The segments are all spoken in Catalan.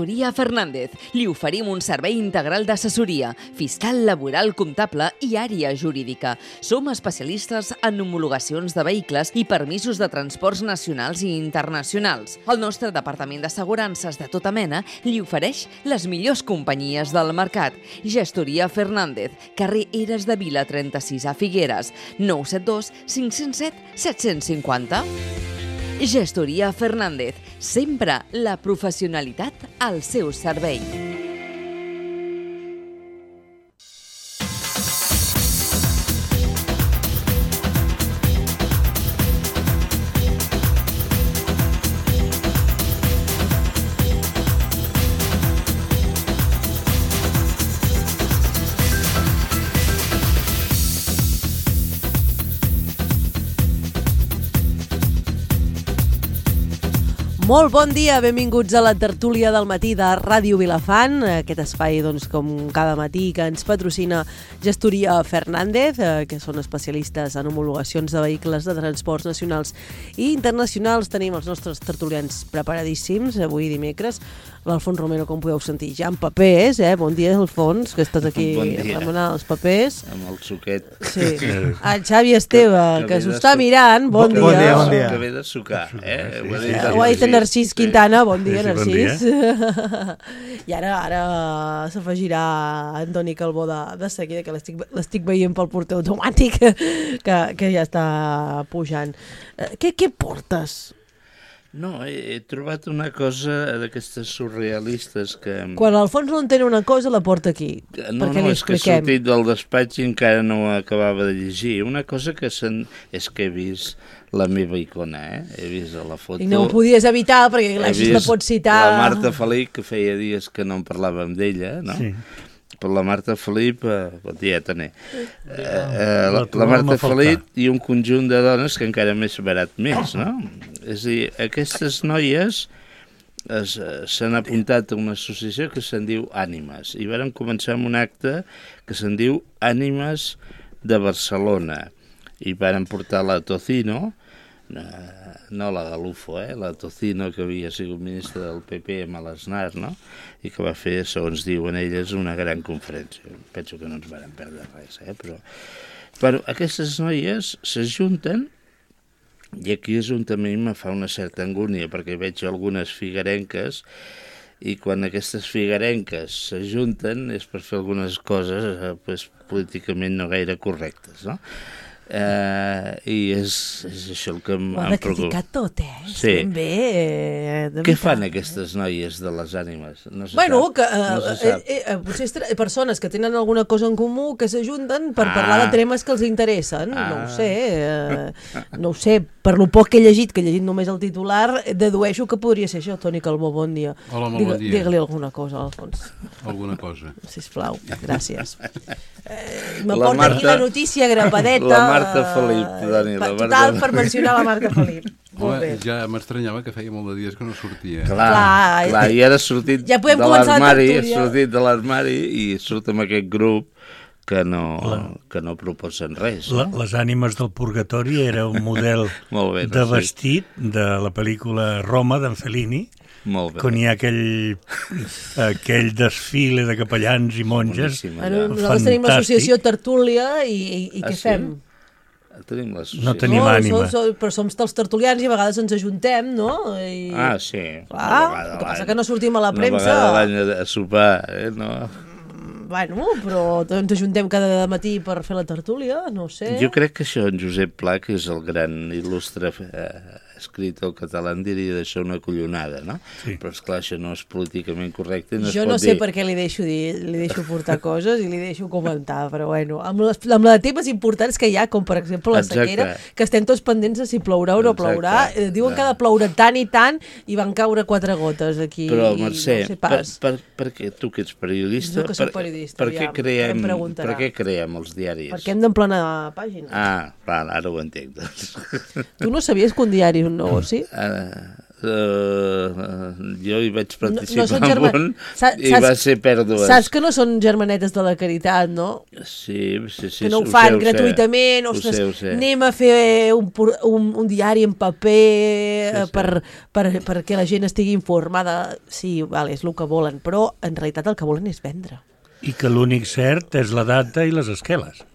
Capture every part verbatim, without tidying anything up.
Gestoria Fernández. Li oferim un servei integral d'assessoria, fiscal, laboral, comptable i àrea jurídica. Som especialistes en homologacions de vehicles i permisos de transports nacionals i internacionals. El nostre departament d'assegurances de tota mena li ofereix les millors companyies del mercat. Gestoria Fernández, carrer Eres de Vila trenta-sis a Figueres, nou set dos cinc zero set set cinc zero. Gestoria Fernández, sempre la professionalitat al seu servei. Molt bon dia, benvinguts a la tertúlia del matí de Ràdio Vilafant, aquest espai, doncs, com cada matí, que ens patrocina Gestoria Fernández, que són especialistes en homologacions de vehicles de transports nacionals i internacionals. Tenim els nostres tertulians preparadíssims, avui dimecres. L'Alfons Romero, com podeu sentir, ja en papers, eh? Bon dia, Alfons, que estàs aquí bon remenant els papers. Amb el suquet. Sí. El Xavi Esteve, que, que s'ho està mirant, bon, bon dia. Bon dia, bon dia. Que ve de sucar, eh? Ho ha dit, ho ha dit en Narcís Quintana, bon dia, sí, sí, Narcís. Bon dia. I ara ara s'afegirà Antoni Calbó de, de seguida, que l'estic veient pel porter automàtic, que, que ja està pujant. Què, què portes? No, he, he trobat una cosa d'aquestes surrealistes que... Quan l'Alfons no entén una cosa, la porta aquí, no, perquè no, li és que he sortit del despatx i encara no ho acabava de llegir. Una cosa que sen... és que he vist la meva icona, eh? He vist a la foto... I no ho podies evitar, perquè així la pots citar... La Marta Felip, que feia dies que no en parlàvem d'ella, no? Sí. Per la Marta Felip, eh, bon dia, Taner. Eh, eh, la, la Marta Felip i un conjunt de dones que encara m'he separat més, no? És a dir, aquestes noies s'han apuntat a una associació que se'n diu Ànimes, i varen començar amb un acte que se'n diu Ànimes de Barcelona, i varen portar la Tocino, no la Galufo, eh? La Tocino, que havia sigut ministra del P P amb l'Aznar, no? I que va fer, segons diuen elles, una gran conferència. Penso que no ens varen perdre res, eh? Però, però aquestes noies s'ajunten, i aquí és on també me fa una certa angúnia, perquè veig algunes figuerenques, i quan aquestes figuerenques s'ajunten és per fer algunes coses eh, pues, políticament no gaire correctes, no? Uh, i és, és això el que em preocupa. Ho ha de criticar tot, eh? Sí. Ben bé, eh, què fan aquestes noies de les ànimes? No se bueno, sap. que uh, no se sap. Eh, eh, potser és persones que tenen alguna cosa en comú que s'ajunten per ah. parlar de temes que els interessen. Ah. No ho sé, eh, no ho sé. Per lo poc que he llegit, que he llegit només el titular, dedueixo que podria ser això. Toni Calbó, bon dia. Hola, molt Digue, bon dia. Digue-li alguna cosa, Alfons. Alguna cosa. Sisplau, gràcies. Eh, me porta Marta, aquí la notícia grapadeta. La Marta Felip, Dani. La Marta... Total, per mencionar la Marta Felip. Home, ja m'estranyava que feia molt de dies que no sortia. Clar, clar, clar i ara ha sortit ja de l'armari, ha sortit de l'armari i surt amb aquest grup que no, la, que no proposen res. La, no? Les ànimes del purgatori era un model bé, de vestit sí. de la pel·lícula Roma d'en Fellini, molt bé. Quan hi ha aquell, aquell desfile de capellans i monges. Bueno, nosaltres tenim l'associació Tertúlia i, i, i què ah, sí? fem? Tenim no tenim no, ànima. So, so, però som els tertulians i a vegades ens ajuntem, no? I... Ah, sí. Clar, el que passa que no sortim a la premsa. Una vegada l'any a sopar, eh? No... Bueno, però ens ajuntem cada matí per fer la tertúlia, no sé. Jo crec que això en Josep Pla, que és el gran il·lustre eh, escritor català, en diria d'això una collonada, no? Sí. Però esclar, això no és políticament correcte. No jo no sé dir... per què li deixo dir, li deixo portar coses i li deixo comentar, però bueno, amb les, amb les temes importants que hi ha, com per exemple la exacte. Sequera, que estem tots pendents de si plourà o no plourà, eh, diuen que ha de ploure tant i tant i van caure quatre gotes aquí. Però, Mercè, no sé per, per, per què tu que ets periodista, jo que soc periodista, per, per, què creem, per què creem els diaris? Perquè hem d'emplenar pàgines. Ah, val, ara ho entenc. Doncs. Tu no sabies que un diari és un negoci? Uh, Uh, jo hi vaig participar no, no amb un Sa i va ser pèrdues. Saps que no són germanetes de la caritat, no? Sí, sí, sí. Que no ho, ho fan sé, gratuïtament. Ho Ostres, sé, ho sé. anem a fer un, un, un diari en paper sí, sí. Per, per, perquè la gent estigui informada. Sí, vale, és el que volen, però en realitat el que volen és vendre. I que l'únic cert és la data i les esqueles.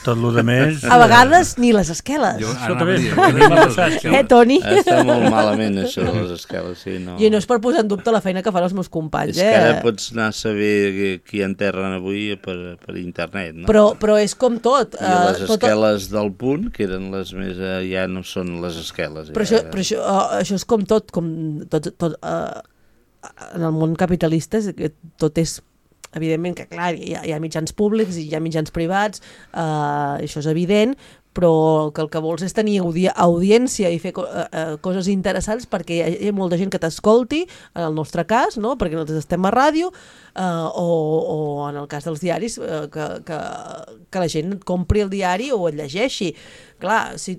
Tot el que més... A vegades ni les esqueles. Jo, això també és... Eh, Toni? Està molt malament, això de les esqueles. Sí, no. I no és per posar en dubte la feina que fan els meus companys, és eh? És que ara pots anar a saber qui enterren avui per, per internet, no? Però, però és com tot. I uh, les esqueles tot... del Punt, que eren les més... Uh, ja no són les esqueles. Però, ja... això, però això, uh, això és com tot, com tot, tot uh, en el món capitalista tot és... Evidentment que, clar, hi ha, hi ha mitjans públics i hi ha mitjans privats, eh, això és evident, però que el que vols és tenir audi audiència i fer co eh, coses interessants perquè hi ha, hi ha molta gent que t'escolti, en el nostre cas, no? Perquè nosaltres estem a ràdio, eh, o, o en el cas dels diaris, eh, que, que, que la gent compri el diari o el llegeixi. Clar, si...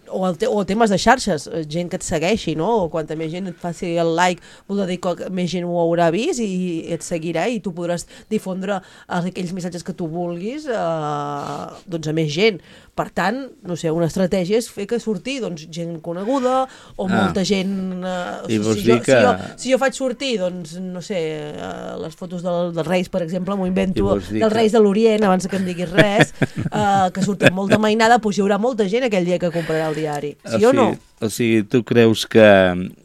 O, el te o temes de xarxes, gent que et segueixi, no? O quanta més gent et faci el like vol dir que més gent ho haurà vist i et seguirà i tu podràs difondre aquells missatges que tu vulguis eh, doncs a més gent. Per tant, no sé, una estratègia és fer que surti doncs, gent coneguda o ah. molta gent... Eh, I si, vols si, dir jo, que... si, jo, si jo faig sortir, doncs, no sé, eh, les fotos del, dels Reis, per exemple, m'ho invento, dels que... Reis de l'Orient, abans que em diguis res, eh, que surten molt de mainada, doncs hi haurà molta gent aquell dia que comprarà el diari. Sí o, o no? O sigui, tu creus que...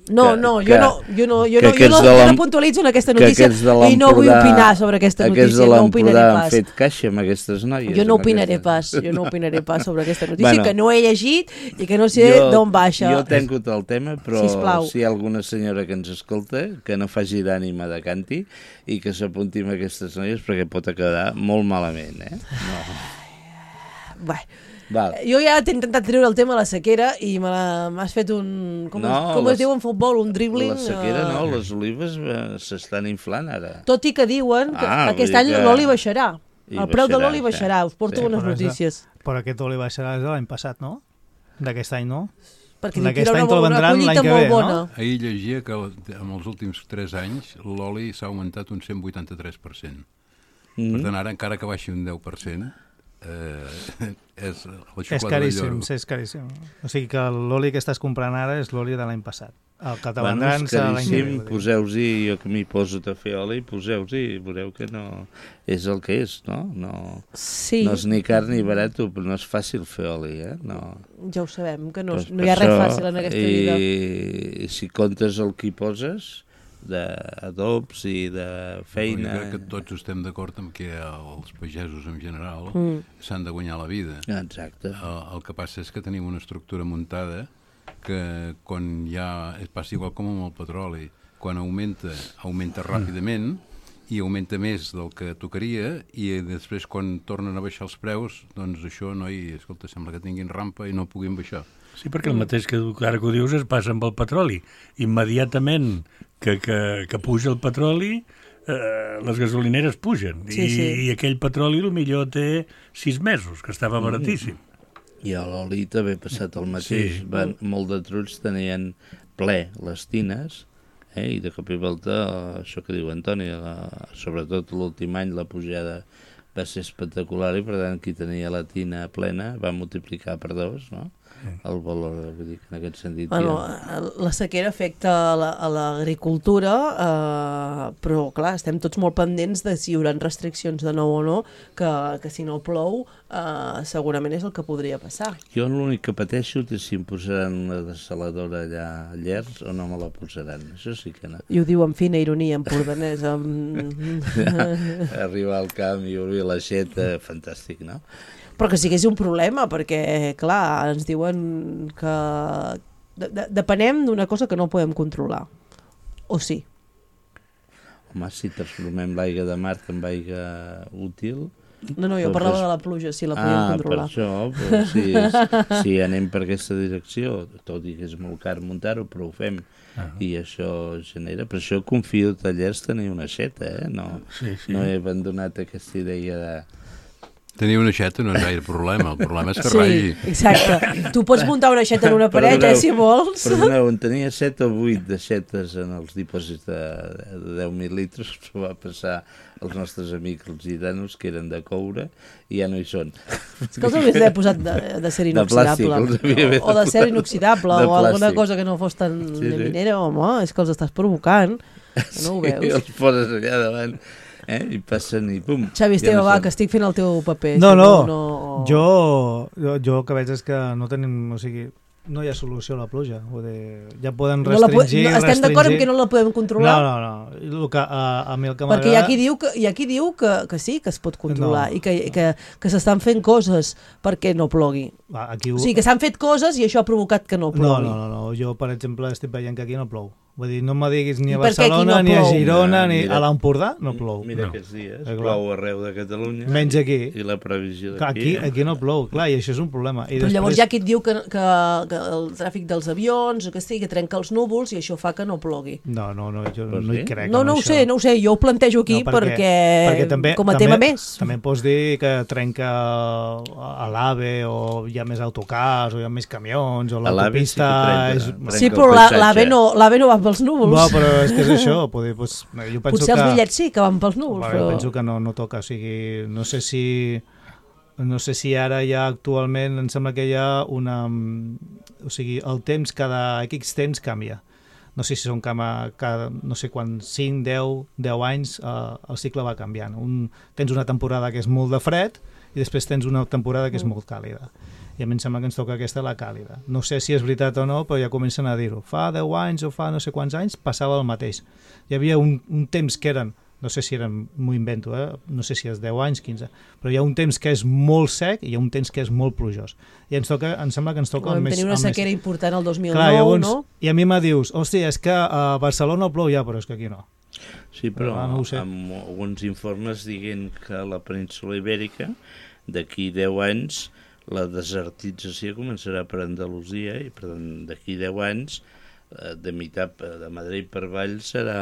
No, que, no, que, jo no, jo no, jo no, jo no, jo no puntualitzo en aquesta notícia i no vull opinar sobre aquesta notícia, no opinaré pas. Han fet caixa amb aquestes noies. Jo no opinaré pas, jo no opinaré pas sobre aquesta notícia, bueno, que no he llegit i que no sé d'on baixa. Jo tanco el tema, però Sisplau. Si hi ha alguna senyora que ens escolta, que no faci d'ànima de canti i que s'apunti amb aquestes noies perquè pot acabar molt malament, eh? No. Bé, Val. Jo ja t'he intentat treure el tema de la sequera i m'has fet un... Com, no, es, com les, es diu en futbol? Un dribbling? La sequera uh... no, les olives uh, s'estan inflant ara. Tot i que diuen que ah, aquest any que... l'oli baixarà. El baixarà, preu de l'oli baixarà, us porto sí. unes notícies. Però aquest oli baixarà de l'any passat, no? D'aquest any, no? Perquè d'aquest any te'l vendran l'any que ve, no? Ahir llegia que en els últims tres anys l'oli s'ha augmentat un cent vuitanta-tres per cent. Mm. Per tant, ara encara que baixi un deu per cent... Eh, és, és caríssim, sí, és caríssim. O sigui que l'oli que estàs comprant ara és l'oli de l'any passat. El que te vendran serà l'any que ve. Poseu-hi, jo que m'hi poso a fer oli, poseu-hi i veureu que no és el que és, no? No, sí. no és ni car ni barat, però no és fàcil fer oli, eh? No. Ja ho sabem, que no, pues no hi ha res fàcil en aquesta i, vida. I si comptes el que hi poses... d'adobs i de feina... Jo crec que tots estem d'acord amb que els pagesos en general mm. s'han de guanyar la vida. Exacte. El, el que passa és que tenim una estructura muntada que quan ja passa igual com amb el petroli, quan augmenta, augmenta ràpidament i augmenta més del que tocaria i després quan tornen a baixar els preus, doncs això, noi, escolta, sembla que tinguin rampa i no puguin baixar. Sí, perquè el mateix que ara que ho dius es passa amb el petroli. Immediatament que, que, que puja el petroli, eh, les gasolineres pugen. Sí, I, sí. I aquell petroli potser té sis mesos, que estava baratíssim. I a l'oli també ha passat el mateix. Sí. Van, molt de trucs tenien ple les tines, eh, i de cop i volta, això que diu Antoni, la, sobretot l'últim any la pujada va ser espectacular i per tant qui tenia la tina plena va multiplicar per dos, no? El valor, vull dir, en aquest sentit... Bueno, ja... La sequera afecta a l'agricultura, eh, però, clar, estem tots molt pendents de si hi haurà restriccions de nou o no, que, que si no plou, eh, segurament és el que podria passar. Jo l'únic que pateixo és si em posaran una desaladora allà a Llers o no me la posaran. Això sí que no. I ho diu amb fina ironia, empordanès. Amb... Ja, arribar al camp i obrir l'aixeta, fantàstic, no? Però que sigués un problema, perquè, clar, ens diuen que de de depenem d'una cosa que no podem controlar. O sí? Home, si transformem l'aigua de mar en aigua útil... No, no, jo doncs parlava de la pluja, si la podíem ah, controlar. Ah, per això, però si, si anem per aquesta direcció, tot i que és molt car muntar-ho, però ho fem. Uh -huh. I això genera... Per això confio que Tallers tenir una aixeta, eh? No, sí, sí. no he abandonat aquesta idea de... Tenir una aixeta no és gaire problema, el problema és que Sí, ratlli. exacte. Tu pots muntar una aixeta en una paret, eh, si vols. Perdoneu, en tenia set o vuit d'aixetes en els dipòsits de, de deu mil litres, s'ho va passar als nostres amics els gitanos, que eren de coure, i ja no hi són. És que els hauries d'haver posat de, de ser inoxidable. De plàstic, o, o de ser inoxidable, de o alguna plàstic. cosa que no fos tan Sí, sí. minera, home, és que els estàs provocant. Que no ho Sí, veus? els poses allà davant, eh? I passen i pum. Xavi Esteve, ja no va, són. que estic fent el teu paper. No, si no, no... jo, jo, jo el que veig és que no tenim, o sigui, no hi ha solució a la pluja. Vull dir, ja poden No la po- restringir, no, estem d'acord en restringir. que no la podem controlar? No, no, no. El que, a, a mi el que Perquè hi ha m'agrada... qui diu, que, hi ha qui diu que, que sí, que es pot controlar No. i que, que, que s'estan fent coses perquè no plogui. Va, aquí ho... O sigui, que s'han fet coses i això ha provocat que no No, plogui. no, no, no. Jo, per exemple, estic veient que aquí no plou. Vull dir, no me diguis ni a I per què aquí Barcelona, no ni a plou? Girona, No, ni mira. a l'Empordà, no plou. Mira No. aquests dies, Eh, clar. plou arreu de Catalunya. Menys aquí. I la previsió Clar, d'aquí. aquí, aquí no plou, clar, i això és un problema. I Però llavors després- hi ha qui et diu que, que, que el tràfic dels avions, o que sigui, que trenca els núvols i això fa que no plogui. No, no, no, jo Vols no hi dir? crec. No, en no ho això. sé, no ho sé, jo ho plantejo aquí No, perquè, perquè també, com a també, tema més. També pots dir que trenca a l'AVE o hi ha més autocars o hi ha més camions o A l'AVE sí que l'autopista... trenca, és... trenca. Sí, el però la- paisatge. l'AVE no, l'AVE no va pels núvols. No, però és que és això. Poder, doncs, jo penso Potser que... els bitllets sí que van pels núvols, Bueno, però... jo penso que no, no toca, o sigui, no sé si no sé si ara ja actualment em sembla que hi ha una... O sigui, el temps, cada X temps canvia. No sé si són cada, cada no sé quan, cinc, deu, deu anys eh, el cicle va canviant. Un, tens una temporada que és molt de fred i després tens una temporada que és molt càlida. I a mi em sembla que ens toca aquesta, la càlida. No sé si és veritat o no, però ja comencen a dir-ho. Fa deu anys o fa no sé quants anys passava el mateix. Hi havia un, un temps que eren, no sé si eren, m'ho invento, eh? No sé si és deu anys, quinze, però hi ha un temps que és molt sec i hi ha un temps que és molt plujós. I ens toca, em sembla que ens toca Vam el més... tenir una el més- sequera important el dos mil nou, Clar, llavors, no? I a mi me dius, hòstia, és que a Barcelona plou ja, però és que aquí no. Sí, però Ah, no ho sé. amb alguns informes dient que a la península Ibèrica d'aquí deu anys la desertització començarà per Andalusia i per tant d'aquí deu anys eh, de meitat de Madrid per avall serà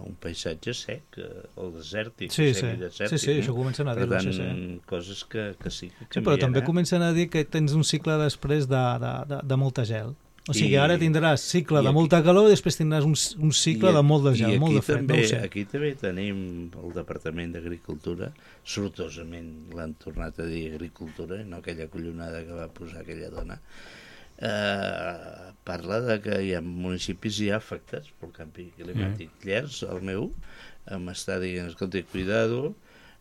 un paisatge sec eh, o desèrtic, Sí, sec sí, i desèrtic, sí, sí, no? això comencen a Per dir-ho, tant, sí, sí. coses que, que sí que Sí, però canvien, també eh? comencen a dir que tens un cicle després de, de, de, de molta gel. O sigui, I- ara tindràs cicle i de aquí- molta calor i després tindràs un, un cicle I- de molt de i gel, aquí molt de fred, també, no ho sé. Aquí també tenim el Departament d'Agricultura, sortosament l'han tornat a dir Agricultura, i no aquella collonada que va posar aquella dona, eh, parla de que hi ha municipis ja afectats pel canvi climàtic. Mm. Llers, el meu, m'està dient, escolta, cuidado,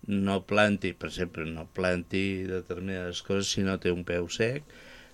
no planti, per exemple, no planti determinades coses si no té un peu sec,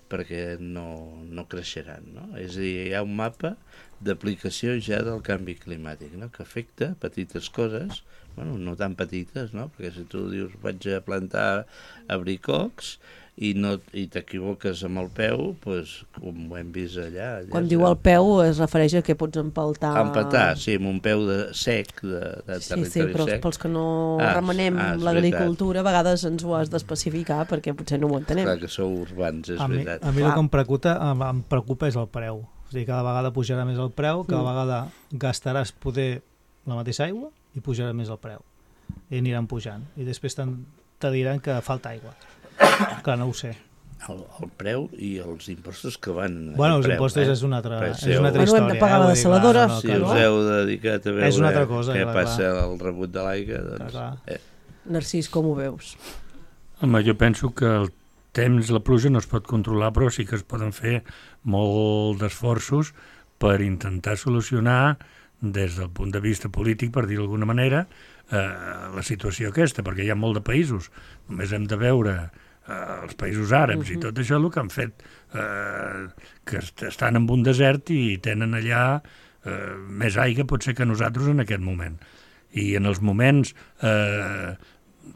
perquè no, no creixeran, no? És a dir, hi ha un mapa d'aplicació ja del canvi climàtic, no? Que afecta petites coses, bueno, no tan petites, no? Perquè si tu dius vaig a plantar abricocs i, no, i t'equivoques amb el peu, doncs, com ho hem vist allà... allà Quan diu el peu es refereix a que pots empaltar... Empatar, sí, amb un peu de sec, de, de Sí, territori sí, però sec. pels que no Ah, remenem ah, és l'agricultura, a vegades ens ho has d'especificar perquè potser no ho entenem. Clar que sou urbans, és A mi, veritat. a mi el Clar. que em preocupa, em, em preocupa és el preu. O sigui, cada vegada pujarà més el preu, cada Mm. vegada gastaràs poder la mateixa aigua i pujarà més el preu. I aniran pujant. I després te'n- te diran que falta aigua. Clar, no ho sé. El, el preu i els impostos que van... Bueno, el els preu, impostos eh? és una altra, Però és seu- una altra Bueno, hem història. de pagar eh? la Vull dir, dessaladora. clar, no, Si clar, us clar. heu dedicat a veure És una altra cosa, què clar, passa clar. al rebut de l'aigua, doncs... Clar, clar. Eh, Narcís, com ho veus? Home, jo penso que el temps, la pluja no es pot controlar, però sí que es poden fer molt d'esforços per intentar solucionar des del punt de vista polític, per dir d'alguna manera, eh, la situació aquesta, perquè hi ha molt de països. Només hem de veure eh, els països àrabs uh -huh. i tot això el que han fet, eh, que est estan en un desert i tenen allà eh, més aigua potser que nosaltres en aquest moment. I en els moments... Eh,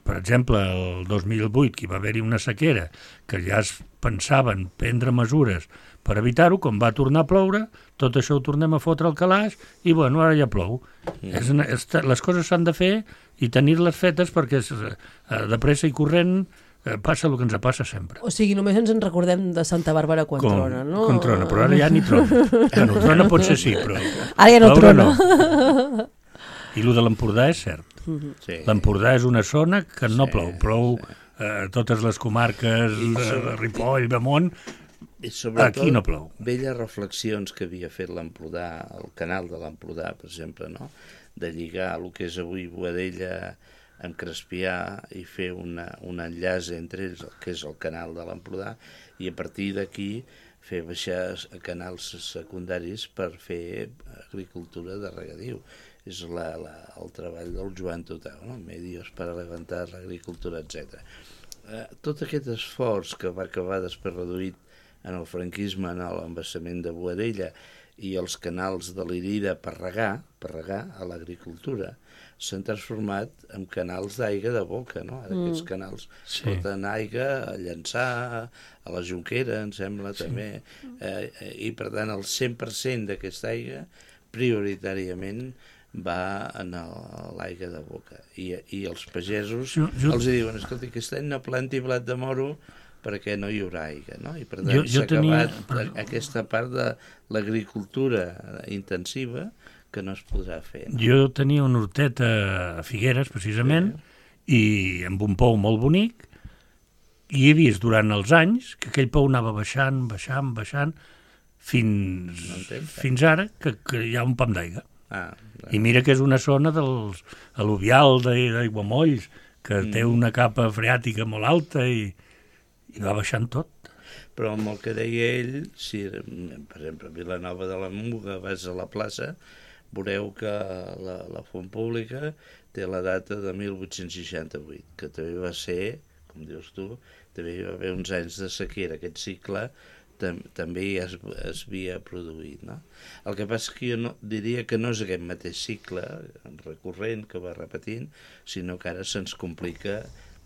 per exemple, el dos mil vuit, que hi va haver-hi una sequera, que ja es pensaven prendre mesures per evitar-ho, com va tornar a ploure, tot això ho tornem a fotre al calaix i, bueno, ara ja plou. Mm. És una, és, les coses s'han de fer i tenir-les fetes perquè eh, de pressa i corrent eh, passa el que ens passa sempre. O sigui, només ens en recordem de Santa Bàrbara quan Com, trona, no? Quan trona, però ara ja ni trona. Bueno, trona potser sí, però... Ara ja no ploure trona. No. I el de l'Empordà és cert. sí. L'Empordà és una zona que no Sí, plou, plou sí. a totes les comarques de Ripoll, Bemont, aquí no plou. Velles reflexions que havia fet l'Empordà, el canal de l'Empordà, per exemple, no? De lligar el que és avui Boadella amb Crespià i fer una, un enllaç entre ells, que és el canal de l'Empordà, i a partir d'aquí fer baixar canals secundaris per fer agricultura de regadiu. És la, la, el treball del Joan Totau, no? Medios per levantar l'agricultura, etcètera. Eh, tot aquest esforç que va acabar després reduït en el franquisme, en l'embassament de Boadella i els canals de l'Irida per regar, per regar a l'agricultura, s'han transformat en canals d'aigua de boca, no? Ara aquests canals sí. porten aigua a Llançà, a la Jonquera, em sembla, sí. també, eh, i per tant el cent per cent d'aquesta aigua prioritàriament va en l'aigua de boca. I, i els pagesos jo, jo... els diuen, escolta, aquest any no planti blat de moro perquè no hi haurà aigua, no? I per tant s'ha acabat tenia... aquesta part de l'agricultura intensiva que no es podrà fer. No? Jo tenia un hortet a Figueres, precisament, sí. i amb un pou molt bonic, i he vist durant els anys que aquell pou anava baixant, baixant, baixant, fins, no fins ara que, que hi ha un pam d'aigua. Ah, I mira que és una zona dels al·luvial d'Aiguamolls, que mm. té una capa freàtica molt alta i, i va baixant tot. Però amb el que deia ell, si, per exemple, a Vilanova de la Muga vas a la plaça, veureu que la, la font pública té la data de mil vuit-cents seixanta-vuit, que també va ser, com dius tu, també hi va haver uns anys de sequera, aquest cicle tam, també es, es havia produït. No? El que passa és que jo no, diria que no és aquest mateix cicle recurrent que va repetint, sinó que ara se'ns complica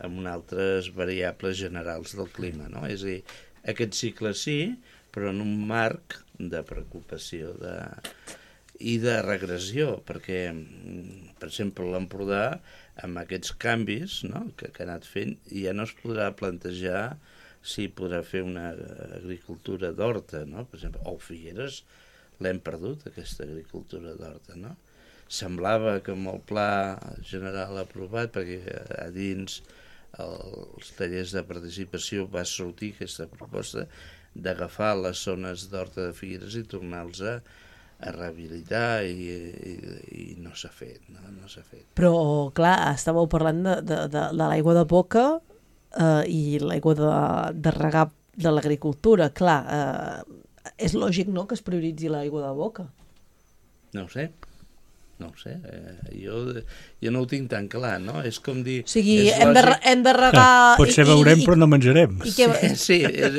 amb unes altres variables generals del clima. No? És a dir, aquest cicle sí, però en un marc de preocupació de... i de regressió, perquè, per exemple, l'Empordà, amb aquests canvis, no?, que, que ha anat fent, ja no es podrà plantejar si podrà fer una agricultura d'horta, no? Per exemple, o Figueres l'hem perdut, aquesta agricultura d'horta, no? Semblava que amb el pla general aprovat, perquè a dins els tallers de participació va sortir aquesta proposta d'agafar les zones d'horta de Figueres i tornar-los a a rehabilitar i, i, i no s'ha fet, no, no s'ha fet. Però, clar, estàveu parlant de, de, de, de l'aigua de boca eh, i l'aigua de, de regar de l'agricultura. Clar, eh, és lògic, no?, que es prioritzi l'aigua de boca. No ho sé. No ho sé, eh, jo, jo no ho tinc tan clar, no? És com dir... O sigui, hem de, hem de regar... Potser veurem, i, però no menjarem. I que... Sí, sí, és,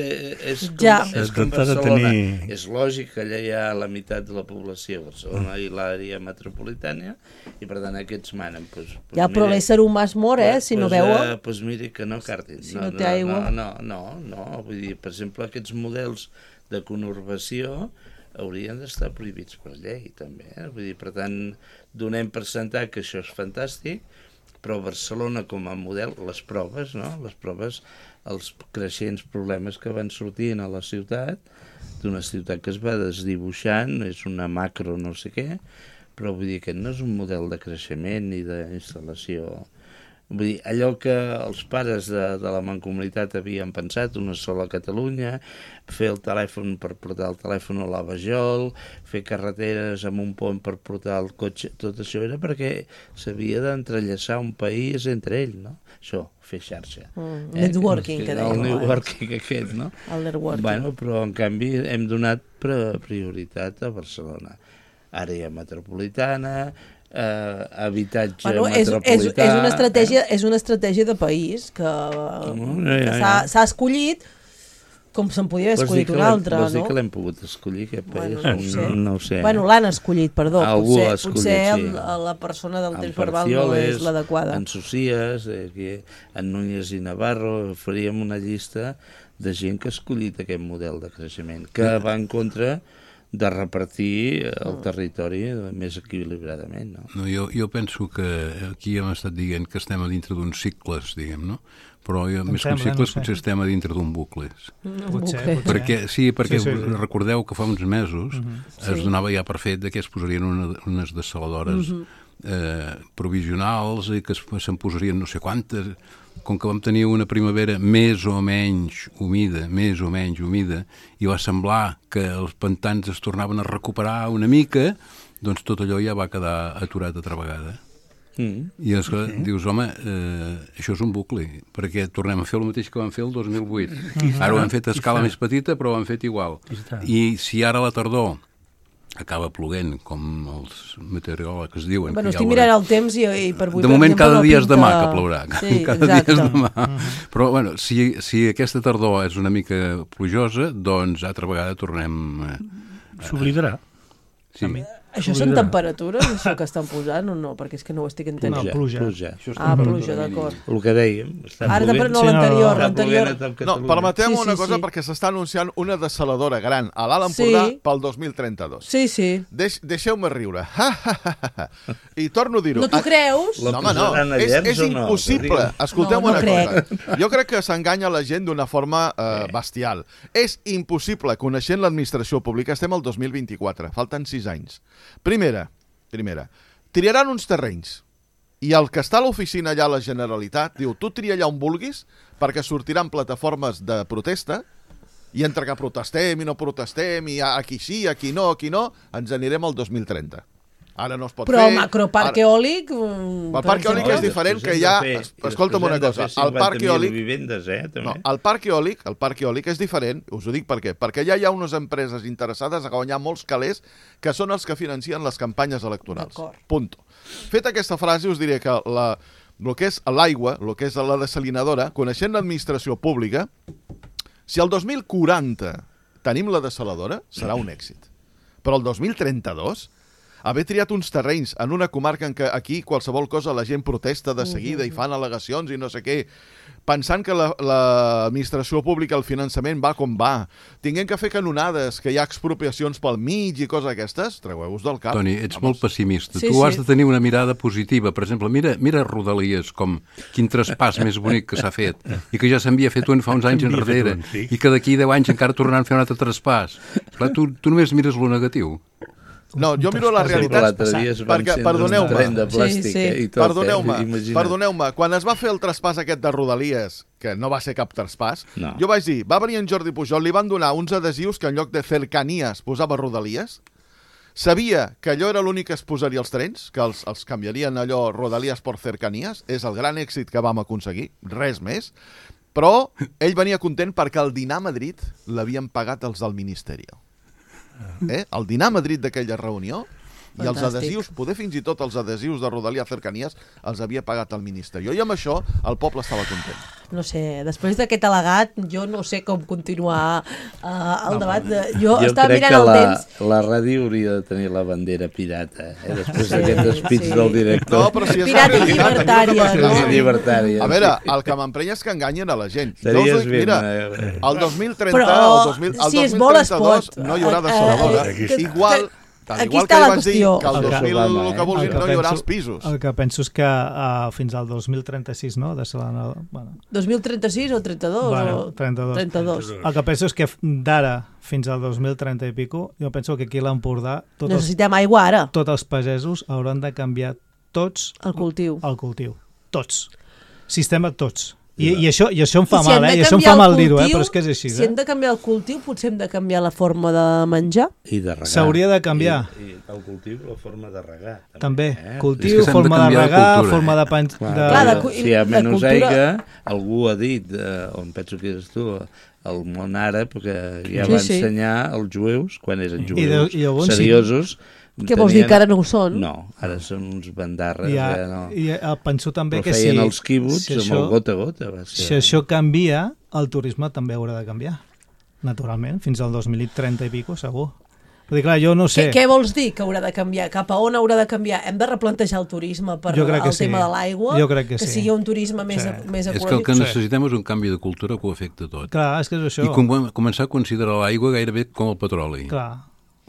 és com, ja. és com Barcelona. Tenir... És lògic que allà hi ha la meitat de la població, Barcelona mm. i l'àrea metropolitana, i per tant aquests manen. Pues, pues ja, mire, però l'ésser humà es mor, eh, si pues, no veu... Doncs pues miri que no cartin. Si no, no té aigua... No, no, no, no, vull dir, per exemple, aquests models de conurbació haurien d'estar prohibits per llei, també. Eh? Vull dir, per tant, donem per sentat que això és fantàstic, però Barcelona com a model, les proves, no? Les proves, els creixents problemes que van sortint a la ciutat, d'una ciutat que es va desdibuixant, és una macro no sé què, però vull dir que no és un model de creixement ni d'instal·lació. Vull dir, allò que els pares de, de la Mancomunitat havien pensat, una sola Catalunya, fer el telèfon per portar el telèfon a la Vajol, fer carreteres amb un pont per portar el cotxe, tot això era perquè s'havia d'entrellaçar un país entre ell, no? Això, fer xarxa. Mm, eh? Networking, que, que deia. El networking aquest, no? El networking. Bueno, però en canvi hem donat prioritat a Barcelona. Àrea metropolitana, Uh, habitatge bueno, metropolità... És, és, és, una estratègia, eh? és una estratègia de país que, mm, ja, ja, ja. que s'ha escollit com se'n podia haver escollit una altra, no? Vols dir que l'hem pogut escollir, aquest país? Bueno, no, no, no ho sé. Bueno, l'han escollit, perdó. Algú potser, l'ha escollit, potser sí. el, la persona del temps verbal no és l'adequada. En Socias, eh, en Núñez i Navarro, faríem una llista de gent que ha escollit aquest model de creixement, que va en contra de repartir el territori més equilibradament. No? No, jo, jo penso que aquí hem estat dient que estem a dintre d'uns cicles, diguem, no? però jo, més que un cicle, no sé. Potser estem a dintre d'un bucle. No, potser, potser. Perquè, sí, perquè sí, sí. recordeu que fa uns mesos uh -huh. es sí. donava ja per fet que es posarien una, unes dessaladores uh -huh. eh, provisionals i que se'n posarien no sé quantes. Com que vam tenir una primavera més o menys humida, més o menys humida, i va semblar que els pantans es tornaven a recuperar una mica, doncs tot allò ja va quedar aturat altra vegada. Mm. I és que sí. dius, home, eh, això és un bucle, perquè tornem a fer el mateix que vam fer el dos mil vuit. Mm. Ara ho hem fet a escala més petita, però ho hem fet igual. I si ara a la tardor acaba ploguent, com els meteoròlegs diuen... Bueno, estic mirant el temps i, i per avui... De moment exemple, cada dia no és demà que plourà. Sí, cada exacte. dia és demà. Uh-huh. Però, bueno, si, si aquesta tardor és una mica plujosa, doncs altra vegada tornem... Eh, S'oblidarà. Sí. Això són temperatures, això que estan posant o no? Perquè és que no ho estic entenent. No, pluja. pluja. Ah, pluja, d'acord. El que dèiem. Ara també no l'anterior. l'anterior. No, permeteu-me sí, sí, una cosa, sí. perquè s'està anunciant una dessaladora gran a l'Alt Empordà sí. pel dos mil trenta-dos. Sí, sí. Deix, Deixeu-me riure. I torno a dir-ho. No t'ho creus? No, home, no. És, és impossible. No? Escolteu no, no una crec. cosa. Jo crec que s'enganya la gent d'una forma eh, bestial. És impossible, coneixent l'administració pública, estem al dos mil vint-i-quatre, falten sis anys. Primera, primera, triaran uns terrenys i el que està a l'oficina allà a la Generalitat diu, tu tria allà on vulguis perquè sortiran plataformes de protesta i entre que protestem i no protestem i aquí sí, aquí no, aquí no, ens anirem al dos mil trenta. Ara no es pot però fer... Però el macroparc ara... eòlic... El parc eòlic és diferent, que hi ha... Escolta'm una cosa, el parc eòlic... Vivendes, eh, no, el parc eòlic, el parc eòlic és diferent, us ho dic per què, perquè ja hi ha unes empreses interessades a guanyar molts calés que són els que financen les campanyes electorals. Punto. Feta aquesta frase, us diré que la, el que és l'aigua, el que és la desalinadora, coneixent l'administració pública, si el dos mil quaranta tenim la desaladora, serà un èxit. Però el dos mil trenta-dos... haver triat uns terrenys en una comarca en què aquí qualsevol cosa la gent protesta de seguida i fan al·legacions i no sé què, pensant que l'administració la, pública, el finançament va com va, tinguem que fer canonades, que hi ha expropiacions pel mig i coses aquestes, treueu-vos del cap. Toni, ets Vamos. molt pessimista. Sí, tu sí. has de tenir una mirada positiva. Per exemple, mira, mira Rodalies, com quin traspàs més bonic que s'ha fet, i que ja s'havia fet un fa uns anys enrere, un, sí. i que d'aquí deu anys encara tornaran a fer un altre traspàs. Clar, tu, tu només mires lo negatiu. No, jo miro la realitat perquè, perdoneu-me, sí, sí. eh, perdoneu-me, perdoneu-me, quan es va fer el traspàs aquest de Rodalies, que no va ser cap traspàs, no. jo vaig dir, va venir en Jordi Pujol, li van donar uns adhesius que en lloc de cercanies posava Rodalies, sabia que allò era l'únic que es posaria als trens, que els, els canviarien allò Rodalies per cercanies, és el gran èxit que vam aconseguir, res més, però ell venia content perquè el dinar a Madrid l'havien pagat els del Ministeri. Eh? El dinar a Madrid d'aquella reunió i Fantàstic. Els adhesius, poder fins i tot els adhesius de Rodalia Cercanies els havia pagat el Ministeri. I amb això el poble estava content. No sé, després d'aquest al·legat jo no sé com continuar uh, el no, debat. De... Jo, jo estava mirant el la, temps. la ràdio hauria de tenir la bandera pirata, eh? Després sí, d'aquest despit sí. del director. No, però si és pirata i llibertària. No? Sí, llibertària. A veure, el que m'emprenya és que enganyen a la gent. Estaries jo us dic, mira, bé, el dos mil trenta, però, el, dos mil, el si dos mil trenta-dos no hi haurà desaladora. Uh, uh, Igual... Tal Aquí igual està que la vaig dir que el dos mil Obama, el que vulguin el que no hi haurà penso, els pisos. El que penso és que uh, fins al dos mil trenta-sis, no? De Salana, bueno. dos mil trenta-sis o trenta-dos? Bueno, o... trenta-dos. trenta-dos. El que penso és que d'ara fins al dos mil trenta i pico, jo penso que aquí a l'Empordà tots, necessitem aigua ara. Tots els pagesos hauran de canviar tots el cultiu. El cultiu. Tots. Sistema tots. I, i, això, I això em fa si mal, eh? I això em fa mal dir-ho, eh? Però és que és així. Si eh? hem de canviar el cultiu, potser hem de canviar la forma de menjar. I de regar. S'hauria de canviar. I, I el cultiu, la forma de regar. També. també. Eh? Cultiu, forma de, de regar, cultura, forma de... Pen... Clar, de... Clar, de, si hi ha menys cultura... aigua, algú ha dit, eh, on penso que és tu, el món àrab, que ja sí, va sí. ensenyar els jueus, quan eren jueus I de, i llavors, seriosos... Sí. Què vols dir, que ara no ho són? No, ara són uns bandarres. I, a, ja no. i a, penso també però que si... feien els quibuts si amb això, el gota a gota. Va ser. Si això canvia, el turisme també haurà de canviar, naturalment, fins al dos mil trenta i pico, segur. Vull dir, clar, jo no sé... Què, què vols dir que haurà de canviar? Cap a on haurà de canviar? Hem de replantejar el turisme per el sí. tema de l'aigua? Jo crec que, que sí. sigui un turisme més, sí. més ecològic? És que el que necessitem és un canvi de cultura que ho afecta tot. Clar, és que és això. I com, començar a considerar l'aigua gairebé com el petroli. Clar.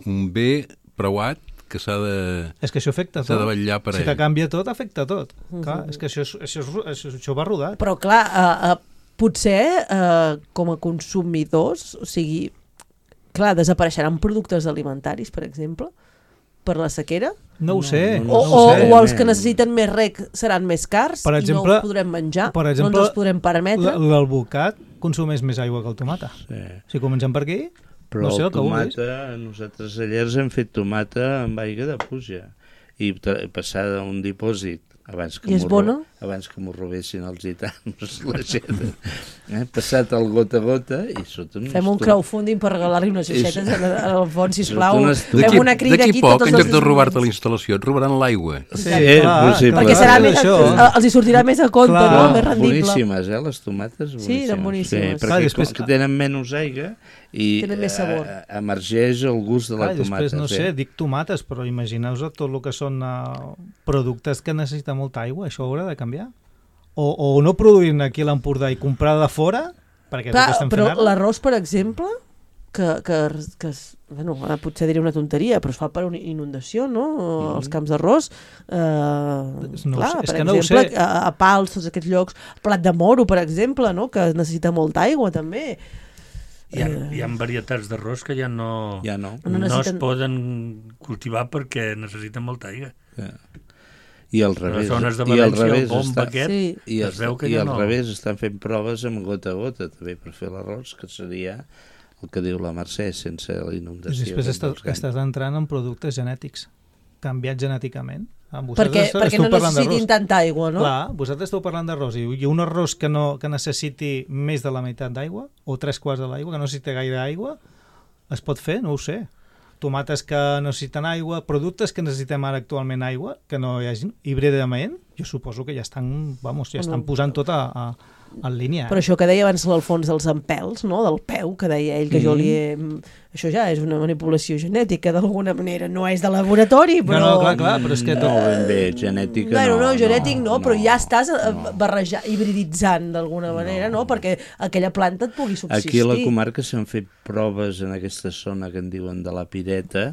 Un bé preuat que s'ha de... És que això afecta tot. S'ha de vetllar per si ell. Si te canvia tot, afecta tot. Uh-huh. Clar, és que això, això, això, això va rodat. Però clar, uh, uh, potser uh, com a consumidors, o sigui, clar, desapareixeran productes alimentaris, per exemple, per la sequera? No ho sé. No, no, no o, ho sé. O els que necessiten més reg seran més cars per exemple, i no els podrem menjar, per exemple, no ens els podrem permetre. L'alvocat consumeix més aigua que el tomata. Sí. Si comencem per aquí, però no sé el, el tomata, nosaltres a Llers hem fet tomata amb aigua de pluja i passar d'un dipòsit abans que, m'ho, abans que m'ho robessin els gitanos, la gent, eh? Passat el gota a gota i sota... Fem un crowdfunding per regalar-li unes aixetes al fons, sisplau. Fem una crida aquí. D'aquí poc, en lloc de robar-te la instal·lació, et robaran l'aigua. Sí, eh, clar, sí, perquè serà més, els hi sortirà més a compte, clar, no? Més rendible. Boníssimes, eh, les tomates, boníssimes. Sí, eren boníssimes. Sí, perquè clar, com que tenen menys aigua i tenen més sabor. Eh, emergeix el gust de la clar, tomata. Després, no sé, dic tomates, però imagineu-vos tot el que són uh, productes que necessiten molta aigua, això haurà de canviar? O, o no produir aquí a l'Empordà i comprar de fora? Perquè clar, tot però fent l'arròs, per exemple, que, que, que es, bueno, potser diré una tonteria, però es fa per una inundació, no? Mm. Els camps d'arròs. Eh, no clar, sé, és per que exemple, no ho sé. a, a Pals, tots aquests llocs, Plat de Moro, per exemple, no? Que necessita molta aigua, també. Hi ha, hi ha varietats d'arròs que ja no, ja no. no, no necessiten... es poden cultivar perquè necessiten molta aigua. Ja. I al revés, les zones de i al València, revés, el bomb està, aquest, sí. i, es veu que i ja al no. revés estan fent proves amb gota a gota també per fer l'arròs, que seria el que diu la Mercè, sense la inundació. I després estàs, estàs entrant en productes genètics, canviats genèticament. Ah, perquè perquè no necessitin tanta aigua, no? Clar, vosaltres esteu parlant d'arròs, i un arròs que, no, que necessiti més de la meitat d'aigua, o tres quarts de l'aigua, que no necessiti gaire aigua, es pot fer? No ho sé. Tomates que necessiten aigua, productes que necessitem ara actualment aigua, que no hi hagi híbridament, jo suposo que ja estan, vamos, ja estan posant tot a, a, en línia. Eh? Però això que deia abans l'Alfons dels empels, no? Del peu, que deia ell, que mm. jo li he... Això ja és una manipulació genètica, d'alguna manera. No és de laboratori, però... No, no, clar, clar, però és que... No, ben bé, genètica bueno, no. No, genètic no, no, però no, ja estàs no. barrejant, hibriditzant d'alguna manera, no. no? Perquè aquella planta et pugui subsistir. Aquí a la comarca s'han fet proves en aquesta zona que en diuen de la Pireta,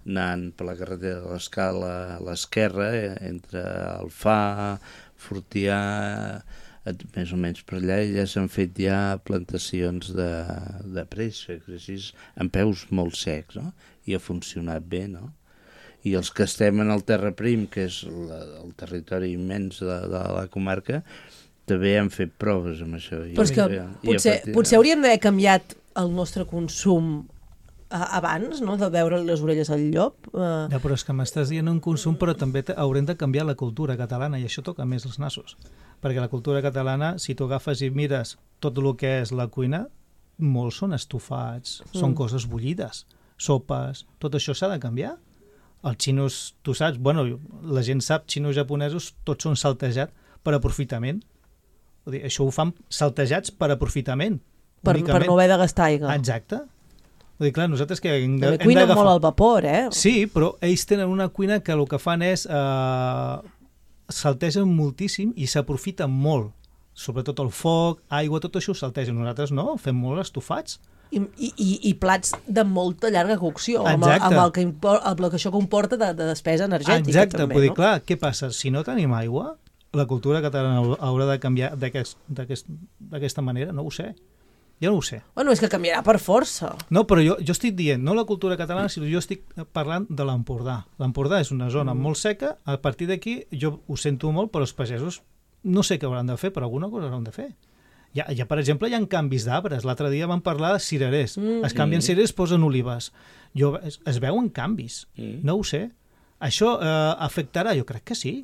anant per la carretera de l'Escala a l'esquerra, eh, entre Alfà, Fortià, més o menys per allà, i ja s'han fet ja plantacions de, de préssec, així, amb peus molt secs, no? I ha funcionat bé, no? I els que estem en el Terra Prim, que és la, el territori immens de, de la comarca, també han fet proves amb això. Però és que ja, potser, ja potser hauríem d'haver canviat el nostre consum abans, no?, de veure les orelles al llop. Uh... Ja, però és que m'estàs dient un consum, però també haurem de canviar la cultura catalana, i això toca més els nassos. Perquè la cultura catalana, si tu agafes i mires tot el que és la cuina, molts són estofats, mm. són coses bullides, sopes, tot això s'ha de canviar. Els xinos, tu saps, bueno, la gent sap, xinos japonesos, tots són saltejats per aprofitament. Vull dir, això ho fan saltejats per aprofitament. Per, per no haver de gastar aigua. Exacte. Vull dir, clar, nosaltres que hem, hem cuinen molt al vapor, eh? Sí, però ells tenen una cuina que el que fan és eh, saltegen moltíssim i s'aprofiten molt. Sobretot el foc, aigua, tot això ho saltegen. Nosaltres no, fem molt estofats. I, i, i plats de molta llarga cocció, amb el, amb, el que impor, amb el que això comporta de, de despesa energètica. Exacte, també, vull dir, no? clar, què passa? Si no tenim aigua, la cultura catalana haurà de canviar d'aquesta aquest, manera? No ho sé. Jo no ho sé. Bueno, és que canviarà per força. No, però jo, jo estic dient, no la cultura catalana, sinó jo estic parlant de l'Empordà. L'Empordà és una zona mm. molt seca, a partir d'aquí jo ho sento molt, però els pagesos no sé què hauran de fer, però alguna cosa hauran de fer. Ja, ja per exemple, hi ha canvis d'arbres. L'altre dia vam parlar de cirerers. Mm. Es canvien cirerers, posen olives. Jo, es, es veuen canvis. Mm. No ho sé. Això eh, afectarà? Jo crec que sí.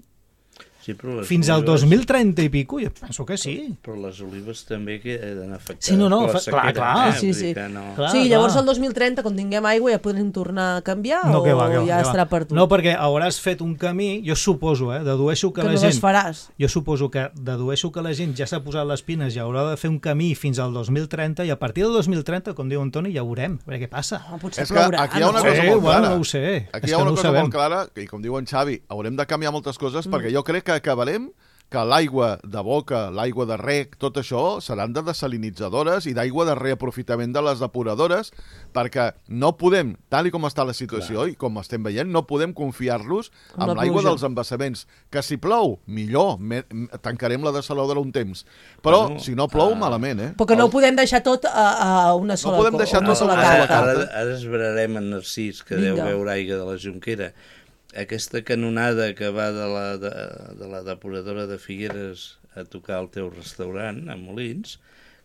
Sí, fins al dos mil trenta i pico, jo penso que sí. Però les olives també queden afectades. Sí, no, no, fa, clar, clar. Eh? Sí, sí. No. Clar, sí, llavors el dos mil trenta, quan tinguem aigua, ja podem tornar a canviar no, o que va, que va, ja que estarà va. per tu? No, perquè hauràs fet un camí, jo suposo, eh, dedueixo que, que la no gent... faràs. Jo suposo que dedueixo que la gent ja s'ha posat les pines i haurà de fer un camí fins al dos mil trenta, i a partir del dos mil trenta, com diu Antoni, ja veurem, perquè què passa. No, potser és que plourà. aquí hi ha una no cosa sé, molt clara. Bueno, no ho sé. Aquí hi ha una cosa molt clara, i com diu en Xavi, haurem de canviar moltes coses, mm. perquè jo crec que acabarem que l'aigua de boca, l'aigua de rec, tot això seran de desalinitzadores i d'aigua de reaprofitament de les depuradores, perquè no podem, tal i com està la situació Clar. i com estem veient, no podem confiar-los amb l'aigua dels embassaments. Que si plou, millor, me, tancarem la desaladora un temps. Però bueno, si no plou, uh, malament, eh? Perquè no ho podem deixar tot a, a una sola, no podem deixar una tot sola ara, carta. ara, ara esbrarem en Narcís, que Vinga. deu veure aigua de la Jonquera. Aquesta canonada que va de la, de, de la depuradora de Figueres a tocar el teu restaurant, a Molins,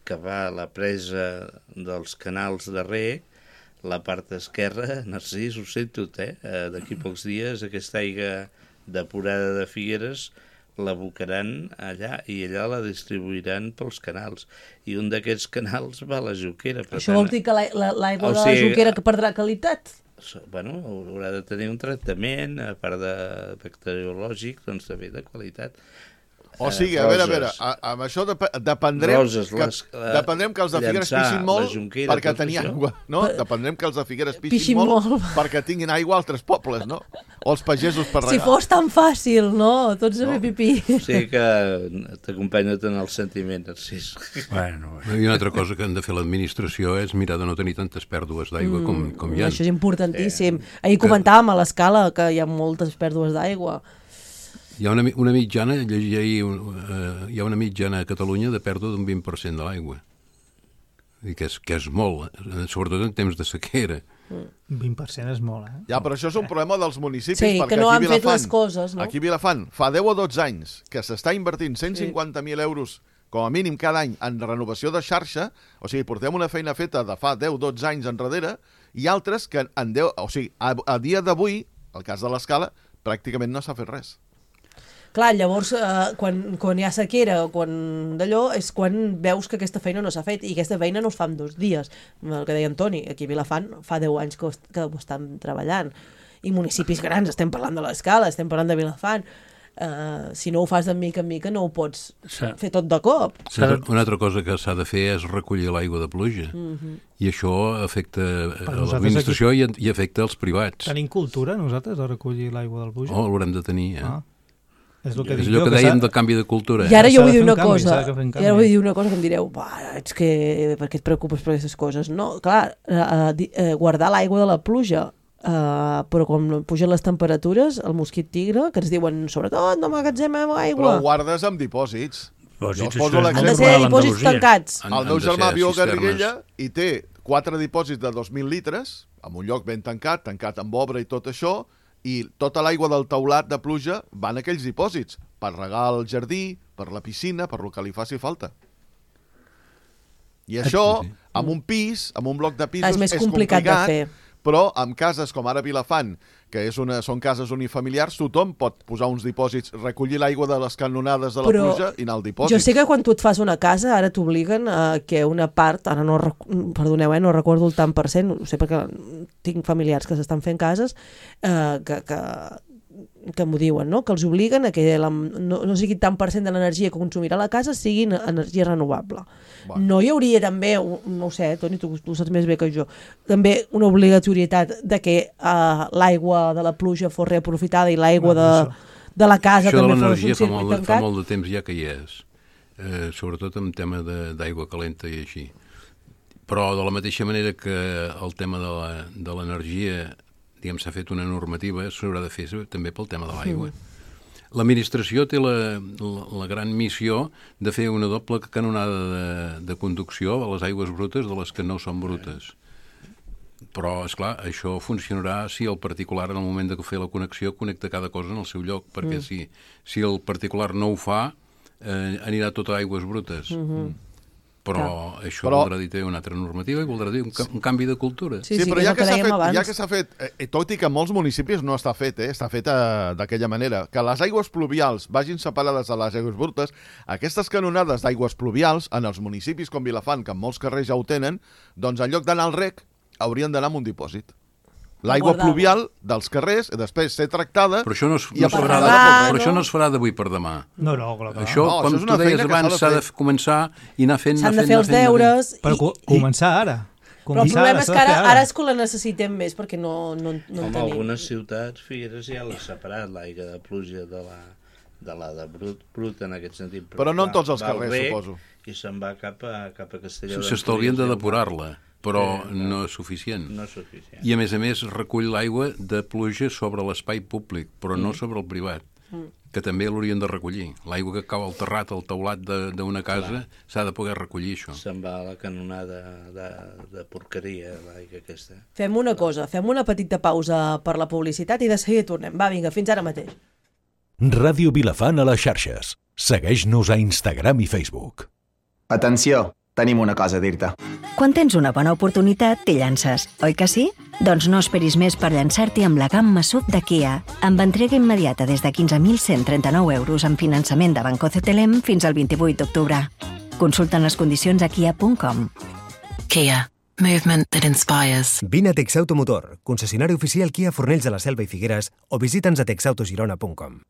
que va a la presa dels canals de rec, la part esquerra, Narcís, ho sé tot, eh? D'aquí pocs dies aquesta aigua depurada de Figueres l'abocaran allà i allà la distribuiran pels canals. I un d'aquests canals va a la Jonquera. Això vol dir que l'aigua de la Jonquera que perdrà qualitat? Bueno, haurà de tenir un tractament, a part de bacteriològic, doncs també de qualitat. O sigui, a veure, a veure, a, amb això dep dependrem, Roses, que, les, uh, dependrem que els de Figueres pixin molt Jonquera, perquè tenien aigua, no? Per... Dependrem que els de Figueres pixin, pixin molt, molt perquè tinguin aigua a altres pobles, no? O els pagesos per regar. Si fos tan fàcil, no? Tots a fer pipí. O sigui que t'acompanyo en el sentiment, Narcís. Bueno, bueno. I una altra cosa que han de fer l'administració és mirar de no tenir tantes pèrdues d'aigua mm, com, com hi ha. Això és importantíssim. Eh, Ahir comentàvem a l'escala que hi ha moltes pèrdues d'aigua. Hi ha una, una mitjana, llegia ahir, uh, hi ha una mitjana a Catalunya de pèrdua d'un vint per cent de l'aigua. I que és, que és molt, sobretot en temps de sequera. vint per cent és molt, eh? Ja, però això és un problema dels municipis. Sí, perquè que no han Vilafant, fet les coses, no? Aquí a Vilafant, fa deu o dotze anys que s'està invertint cent cinquanta mil euros com a mínim cada any en renovació de xarxa, o sigui, portem una feina feta de fa deu o dotze anys enrere, i altres que en deu, o sigui, a, a dia d'avui, el cas de l'Escala, pràcticament no s'ha fet res. Clar, llavors, eh, quan, quan hi ha sequera o quan d'allò, és quan veus que aquesta feina no s'ha fet, i aquesta feina no es fa en dos dies. El que deia Antoni, aquí a Vilafant fa deu anys que ho, que ho estan treballant. I municipis grans, estem parlant de l'Escala, estem parlant de Vilafant. Uh, si no ho fas de mica en mica no ho pots fer tot de cop. Una altra, una altra cosa que s'ha de fer és recollir l'aigua de pluja. Mm-hmm. I això afecta l'administració i, i afecta els privats. Tenim cultura nosaltres de recollir l'aigua del pluja? Oh, l'haurem de tenir, eh? Ah. És, el que és allò que, que dèiem del canvi de cultura. I ara jo vull dir una canvi, cosa, i ara vull dir una cosa que em direu, és que per què et preocupes per aquestes coses? No, clar, uh, uh, guardar l'aigua de la pluja, uh, però quan pugen les temperatures, el mosquit tigre, que ens diuen, sobretot, no m'agatzemem aigua. Però guardes amb dipòsits. Dipòsits, jo poso han de ser dipòsits tancats. El meu germà viu a Garriguella i té quatre dipòsits de dos mil litres, en un lloc ben tancat, tancat amb obra i tot això, i tota l'aigua del teulat de pluja van a aquells dipòsits, per regar el jardí, per la piscina, per lo que li faci falta. I això, amb un pis, amb un bloc de pisos, és més complicat, complicat de fer. Però amb cases com ara Vilafant, que és una, són cases unifamiliars, tothom pot posar uns dipòsits, recollir l'aigua de les canonades de la però pluja i anar al dipòsit. Jo sé que quan tu et fas una casa, ara t'obliguen a que una part, ara no, perdoneu, eh, no recordo el tant per cent, ho sé perquè tinc familiars que s'estan fent cases, eh, que, que, que m'ho diuen, no? Que els obliguen a que la, no, no sigui tant per cent de l'energia que consumirà la casa sigui energia renovable. Bueno. No hi hauria també, no ho sé, Toni, tu, tu saps més bé que jo, també una obligatorietat de que uh, l'aigua de la pluja fos reaprofitada i l'aigua de, de la casa això també fos un circuit tancat? Això de l'energia fa molt de temps ja que hi és, eh, sobretot en tema d'aigua calenta i així. Però de la mateixa manera que el tema de l'energia, diguem, s'ha fet una normativa, s'haurà de fer també pel tema de l'aigua. Mm. L'administració té la, la, la gran missió de fer una doble canonada de, de conducció a les aigües brutes de les que no són brutes. Però, esclar, això funcionarà si el particular, en el moment de fer la connexió, connecta cada cosa en el seu lloc, perquè mm. si, si el particular no ho fa, eh, anirà tot a aigües brutes. Mm-hmm. Però clar, això però... voldrà dir té una altra normativa i voldrà dir un, un canvi de cultura. Sí, sí, sí, però ja que, que fet, ja que s'ha fet, eh, tot i que en molts municipis no està fet, eh, està fet eh, d'aquella manera, que les aigües pluvials vagin separades de les aigües brutes, aquestes canonades d'aigües pluvials, en els municipis com Vilafant, que en molts carrers ja ho tenen, doncs en lloc d'anar al rec, haurien d'anar a un dipòsit. L'aigua pluvial dels carrers, i després ser tractada... Però això no es, no es farà, de, però això no es farà d'avui per demà. No, no, clar. Això, no, com això tu deies abans, s'ha de, de començar i anar fent... S'han de fer els deures... Però co començar ara. Però el problema és que ara, ara és que la necessitem més, perquè no, no, no en tenim. En algunes ciutats, Figueres ja l'ha separat, l'aigua de pluja de la, de la de brut, brut en aquest sentit. Però, però no en tots els carrers, bé, suposo. I se'n va cap a, cap a Castelló. S'estalvien de depurar-la, però eh, no, no és suficient. No és suficient. I a més a més recull l'aigua de pluja sobre l'espai públic, però mm. no sobre el privat. Mm. Que també l'haurien de recollir. L'aigua que cau al terrat, al teulat d'una casa, s'ha de poder recollir, això. Se'n va a la canonada de, de porqueria, l'aigua aquesta. Fem una cosa, fem una petita pausa per la publicitat i de seguida tornem. Va, vinga, fins ara mateix. Ràdio Vilafant a les xarxes. Segueix-nos a Instagram i Facebook. Atenció, tenim una cosa a dir-te. Quan tens una bona oportunitat, t'hi llances, oi que sí? Doncs no esperis més per llançar-t'hi amb la gamma S U V de Kia, amb entrega immediata des de quinze mil cent trenta-nou euros en finançament de Banco C T L M fins al vint-i-vuit d'octubre. Consulta les condicions a kia punt com. Kia. Movement that inspires. Vine a Texautomotor, concessionari oficial Kia Fornells de la Selva i Figueres, o visita'ns a texautogirona punt com.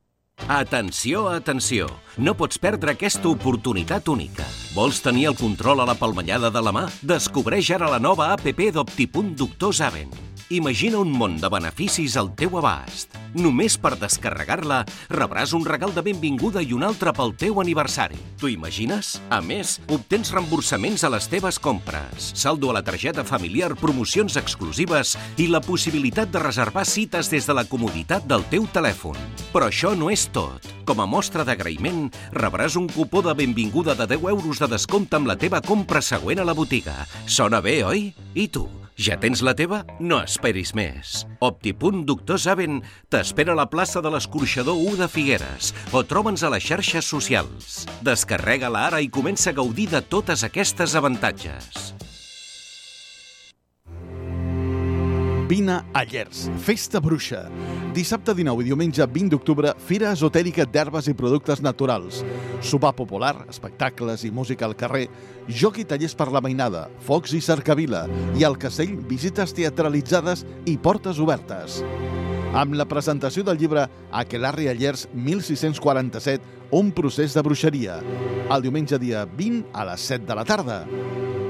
Atenció, atenció! No pots perdre aquesta oportunitat única. Vols tenir el control a la palmellada de la mà? Descobreix ara la nova app d'Optipunt Doctor Zaven. Imagina un món de beneficis al teu abast. Només per descarregar-la rebràs un regal de benvinguda i un altre pel teu aniversari. T'ho imagines? A més, obtens reemborsaments a les teves compres, saldo a la targeta familiar, promocions exclusives i la possibilitat de reservar cites des de la comoditat del teu telèfon. Però això no és tot. Com a mostra d'agraïment, rebràs un cupó de benvinguda de deu euros de descompte amb la teva compra següent a la botiga. Sona bé, oi? I tu? Ja tens la teva? No esperis més. Optipunt Doctor Zaven t'espera a la plaça de l'Escorxador u de Figueres o troba'ns a les xarxes socials. Descarrega-la ara i comença a gaudir de totes aquestes avantatges. Vine a Llers, Festa Bruixa. Dissabte dinou i diumenge vint d'octubre, Fira Esotèrica d'Herbes i Productes Naturals. Sopar popular, espectacles i música al carrer, joc i tallers per la mainada, focs i cercavila, i al castell visites teatralitzades i portes obertes. Amb la presentació del llibre Aquelarre a Llers mil sis-cents quaranta-set, un procés de bruixeria. El diumenge dia vint a les set de la tarda.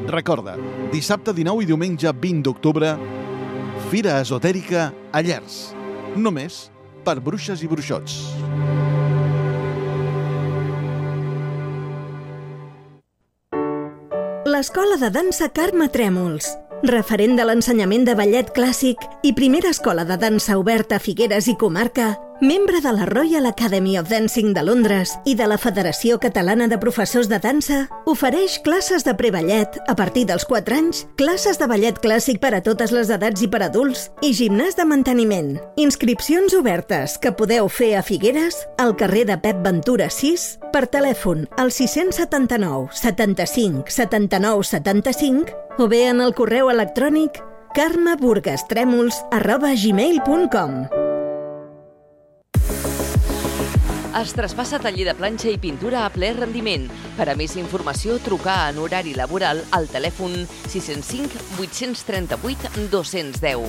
Recorda, dissabte dinou i diumenge vint d'octubre, Fira Esotèrica a Llers. Només per bruixes i bruixots. L'Escola de Dansa Carme Trèmols, referent de l'ensenyament de ballet clàssic i primera escola de dansa oberta a Figueres i comarca, membre de la Royal Academy of Dancing de Londres i de la Federació Catalana de Professors de Dansa, ofereix classes de preballet a partir dels quatre anys, classes de ballet clàssic per a totes les edats i per adults i gimnàs de manteniment. Inscripcions obertes que podeu fer a Figueres, al carrer de Pep Ventura sis, per telèfon al sis-cents setanta-nou setanta-cinc setanta-nou setanta-cinc o bé en el correu electrònic carmeburgastremols arroba gmail punt com. Es traspassa taller de planxa i pintura a ple rendiment. Per a més informació, trucar en horari laboral al telèfon sis zero cinc vuit tres vuit dos zero zero.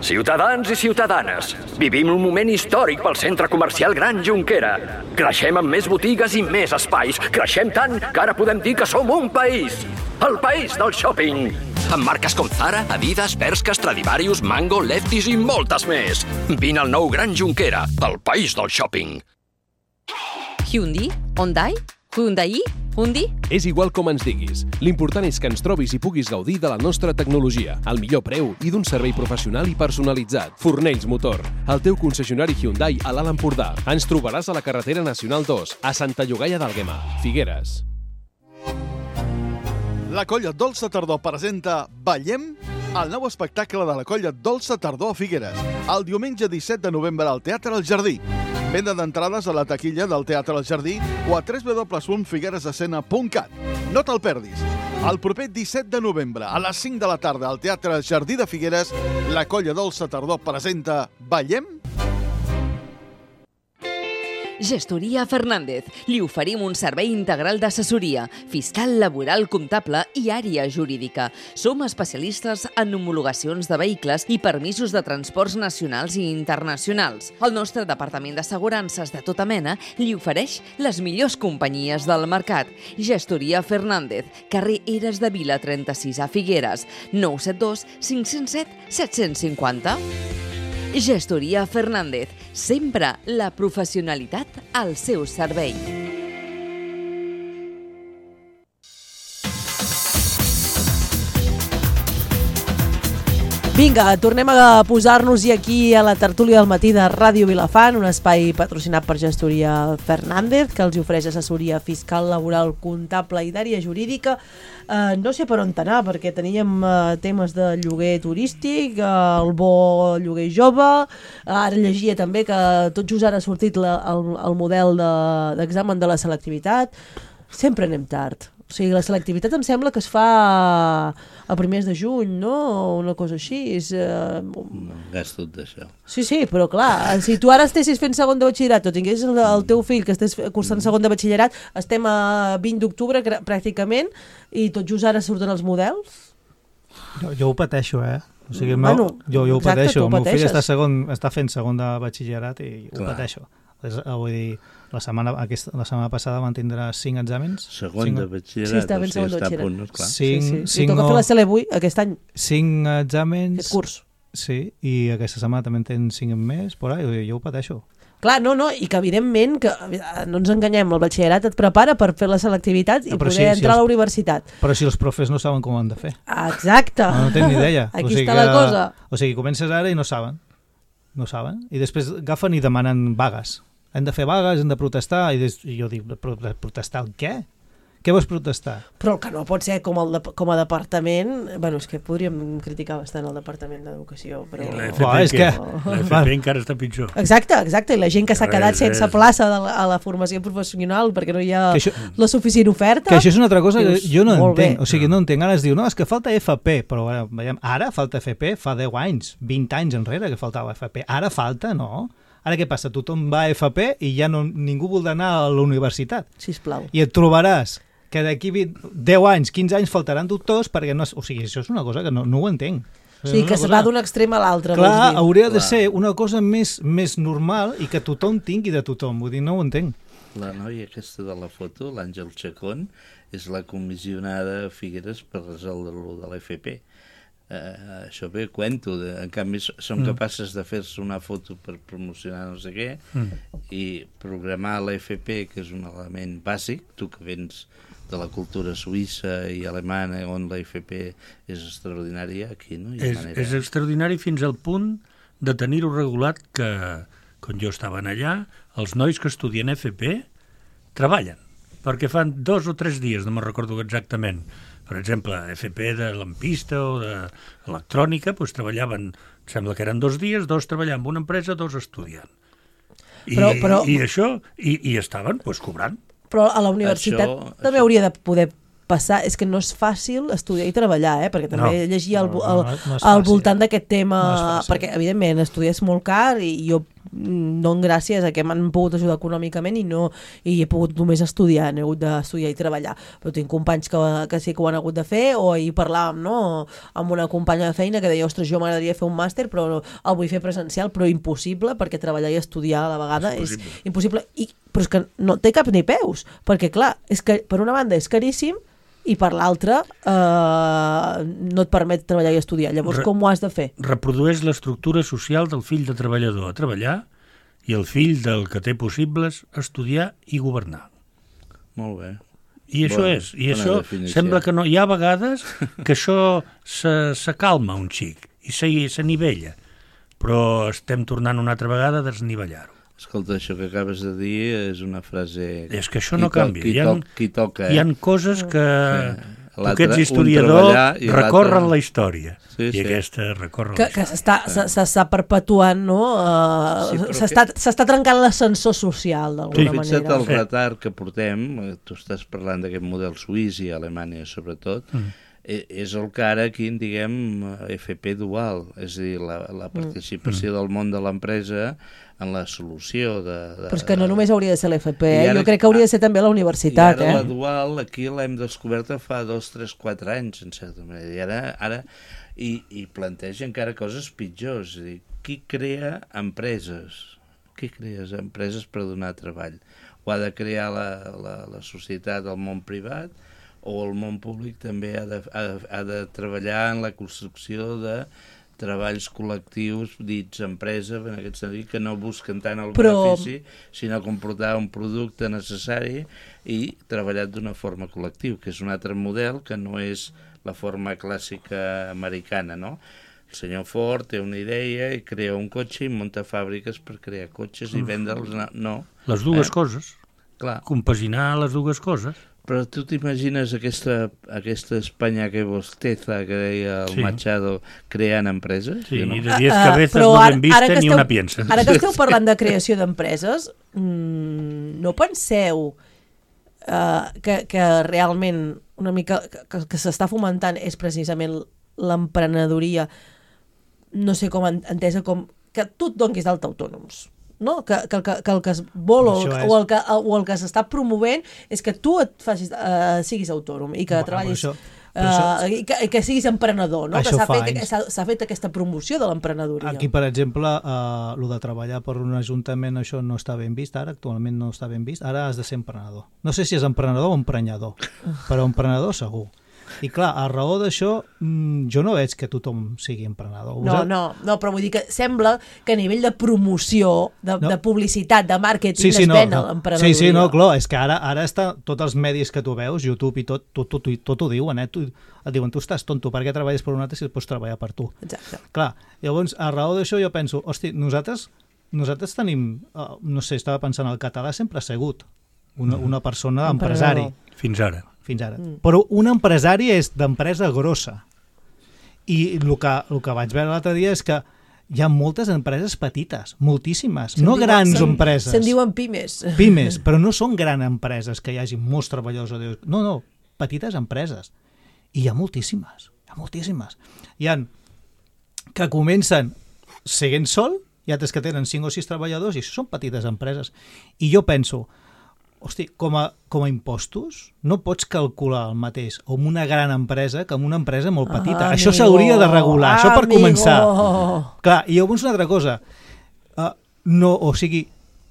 Ciutadans i ciutadanes, vivim un moment històric pel centre comercial Gran Jonquera. Creixem amb més botigues i més espais. Creixem tant que ara podem dir que som un país. El país del shopping. Amb marques com Zara, Adidas, Bershka, Stradivarius, Mango, Lefties i moltes més. Vine al nou Gran Jonquera, el país del shopping. Hyundai? Hyundai? Hyundai? Hyundai? És igual com ens diguis. L'important és que ens trobis i puguis gaudir de la nostra tecnologia, al millor preu i d'un servei professional i personalitzat. Fornells Motor, el teu concessionari Hyundai a l'Alt Empordà. Ens trobaràs a la carretera nacional dos, a Santa Llogaia d'Àlguema, Figueres. La colla Dolça Tardor presenta Ballem, el nou espectacle de la colla Dolça Tardor a Figueres, el diumenge disset de novembre al Teatre El Jardí. Venda d'entrades a la taquilla del Teatre El Jardí o a w w w punt figueresescena punt cat. No te'l perdis. El proper disset de novembre a les cinc de la tarda al Teatre El Jardí de Figueres, la colla Dolça Tardor presenta Ballem. Gestoria Fernández. Li oferim un servei integral d'assessoria, fiscal, laboral, comptable i àrea jurídica. Som especialistes en homologacions de vehicles i permisos de transports nacionals i internacionals. El nostre departament d'assegurances de tota mena li ofereix les millors companyies del mercat. Gestoria Fernández, carrer Eres de Vila trenta-sis a Figueres, nou set dos cinc zero set set cinquanta. Gestoria Fernández, sempre la professionalitat al seu servei. Vinga, tornem a posar-nos-hi aquí a la tertúlia del matí de Ràdio Vilafant, un espai patrocinat per Gestoria Fernández, que els ofereix assessoria fiscal, laboral, comptable i d'àrea jurídica. Uh, no sé per on anar, perquè teníem uh, temes de lloguer turístic, uh, el bo lloguer jove, uh, ara llegia també que tot just ara ha sortit la, el, el model d'examen de, de la selectivitat. Sempre anem tard. O sigui, la selectivitat em sembla que es fa a primers de juny, no? O una cosa així. És, uh... No, gas tot d'això. Sí, sí, però clar, si tu ara estessis fent segon de batxillerat o tingués el, el teu fill que estés cursant segon de batxillerat, estem a vint d'octubre pràcticament i tot just ara surten els models. Jo, jo ho pateixo, eh? O sigui, bueno, meu, jo, jo ho exacte, pateixo. El meu fill pateixes. està, segon, està fent segon de batxillerat i ho clar. pateixo. És, vull dir, la setmana, aquesta, la setmana passada van tindre cinc exàmens. Segon cinc... de batxillerat, sí, està ben o sigui, segon de està a punt, batxillerat. clar. Cinc, sí, sí. cinc, Li toca no... fer la C L vuit aquest any. Cinc exàmens... Aquest curs. Sí, i aquesta setmana també en tenen cinc més, por ahí, jo, jo ho pateixo. Clar, no, no, i que evidentment, que no ens enganyem, el batxillerat et prepara per fer la selectivitat i no, poder sí, entrar si els... a la universitat. Però si els profes no saben com ho han de fer. Exacte. No, no tenen ni idea. Aquí o sigui està que, la cosa. O sigui, comences ara i no saben. No saben. I després agafen i demanen vagues. Hem de fer vagues, hem de protestar. I, des... I jo dic, protestar el què? Què vols protestar? Però el que no pot ser com, el de, com a departament... Bueno, és que podríem criticar bastant el Departament d'Educació, però... I la F P, oh, és que... la F P encara està pitjor. Exacte, exacte, i la gent que s'ha quedat sense plaça de la, a la formació professional perquè no hi ha això, la suficient oferta... Que això és una altra cosa que jo no entenc. Bé. O sigui, no entenc. Ara es diu, no, és que falta F P, però veiem, ara falta F P, fa deu anys, vint anys enrere que faltava F P. Ara falta, no? Ara què passa? Tothom va a F P i ja no, ningú vol anar a la universitat. Sisplau. I et trobaràs que d'aquí deu anys, quinze anys faltaran doctors perquè no... O sigui, això és una cosa que no, no ho entenc. O sigui, que se va d'un extrem a l'altre. Clar, hauria de ser una cosa més, més normal i que tothom tingui de tothom. Vull dir, no ho entenc. La noia aquesta de la foto, l'Àngel Chacón, és la comissionada a Figueres per resoldre-lo de l'F P. Uh, això bé, cuento, de, en canvi són mm. capaces de fer-se una foto per promocionar no sé què mm. i programar l'F P, que és un element bàsic, tu que vens de la cultura suïssa i alemana on la F P és extraordinària, aquí no hi ha és, manera. És extraordinari fins al punt de tenir-ho regulat que, quan jo estava allà, els nois que estudien F P treballen, perquè fan dos o tres dies, no me'n recordo exactament, per exemple, F P de lampista o d'electrònica, doncs treballaven, sembla que eren dos dies, dos treballant en una empresa, dos estudiant. I, però, però... i això, i, i estaven doncs, cobrant. Però a la universitat això, també això... hauria de poder passar, és que no és fàcil estudiar i treballar, eh? Perquè també no, llegia al, al, no, no al voltant d'aquest tema, no perquè evidentment estudiar és molt car i jo dono gràcies a que m'han pogut ajudar econòmicament i no i he pogut només estudiar, he hagut d'estudiar i treballar, però tinc companys que, que sí que ho han hagut de fer, o ahir parlàvem no? amb una companya de feina que deia, ostres, jo m'agradaria fer un màster però no, el vull fer presencial, però impossible perquè treballar i estudiar a la vegada és, és impossible, I, però és que no té cap ni peus, perquè clar, és que per una banda és caríssim i per l'altra eh, no et permet treballar i estudiar. Llavors, Re com ho has de fer? Reprodueix l'estructura social del fill de treballador a treballar i el fill del que té possibles estudiar i governar. Molt bé. I això bona, és. I això definició. Sembla que no... Hi ha vegades que això s'acalma un xic i s'anivella, però estem tornant una altra vegada a desnivellar-ho. Escolta, això que acabes de dir és una frase... És que això no canvia. Qui, hi ha, qui toca, eh? Hi ha coses que sí. tu que ets historiador recorren la història. Sí, I sí. aquesta recorre que, que s'està perpetuant, no? Uh, sí, s'està que... trencant l'ascensor social, d'alguna sí. manera. Fixa't el retard que portem, tu estàs parlant d'aquest model suís i Alemanya sobretot, mm. és el que ara aquí en diguem F P dual, és a dir, la, la participació mm. del món de l'empresa en la solució de, de... Però és que no només hauria de ser l'F P, eh? Ara, jo crec que hauria de ser també la universitat. I ara eh? la dual aquí l'hem descoberta fa dos, tres, quatre anys, en certa manera, i ara, ara i, i planteja encara coses pitjors, és a dir, qui crea empreses? Qui crea empreses per donar treball? Ho ha de crear la, la, la societat, el món privat, o el món públic també ha de, ha, ha de treballar en la construcció de treballs col·lectius dits empresa, en aquest sentit, que no busquen tant el Però... benefici, sinó comportar un producte necessari i treballat d'una forma col·lectiva, que és un altre model que no és la forma clàssica americana, no? El senyor Ford té una idea i crea un cotxe i munta fàbriques per crear cotxes i vendre'ls, no. Les dues eh? coses. Clar. Compaginar les dues coses. Però tu t'imagines aquesta, aquesta Espanya que bosteza, que deia el sí. Machado, creant empreses? Sí, no? I de diez cabezas uh, no ben vista ni esteu, una piensa. Ara que esteu parlant de creació d'empreses, mmm, no penseu uh, que, que realment una mica que, que s'està fomentant és precisament l'emprenedoria, no sé com entesa com que tu et donguis d'alta autònoms. No? Que, que, que, que el que es vol o, és... o el que, o el que s'està promovent és que tu et facis, uh, siguis autònom i que bueno, treballis això, uh, això... i, que, i que siguis emprenedor, no? Que s'ha fet, s'ha fet aquesta promoció de l'emprenedoria. Aquí, per exemple, uh, el de treballar per un ajuntament, això no està ben vist ara, actualment no està ben vist, ara has de ser emprenedor. No sé si és emprenedor o emprenyador, però emprenedor segur. I clar, a raó d'això, jo no veig que tothom sigui emprenedor. No, no, no, però vull dir que sembla que a nivell de promoció, de, no. de publicitat, de màrqueting, sí, sí, es no, ven no. l'emprenedoria. Sí, sí, no, clar, és que ara, ara està, tots els medis que tu veus, YouTube i tot, tot, tot, tot ho diuen, eh? Tu, et diuen, tu estàs tonto, per què treballes per un altre si pots treballar per tu? Exacte. Clar, llavors, a raó d'això jo penso, hosti, nosaltres, nosaltres tenim, uh, no sé, estava pensant, el català sempre ha sigut una, una persona empresari. Fins ara. Fins ara. Mm. Però un empresari és d'empresa grossa. I el que, el que vaig veure l'altre dia és que hi ha moltes empreses petites, moltíssimes, no diuen, grans sen, empreses. Se'n diuen pimes. Pimes, però no són grans empreses que hi hagi molts treballadors. No, no, petites empreses. I hi ha moltíssimes, hi ha moltíssimes. Hi ha que comencen seguint sol, hi ha altres que tenen cinc o sis treballadors i això són petites empreses. I jo penso, hosti, com a, com a impostos no pots calcular el mateix amb una gran empresa que amb una empresa molt petita. Ah, això s'hauria de regular, ah, això per amigo. començar. Clar, i llavors una altra cosa, uh, no, o sigui,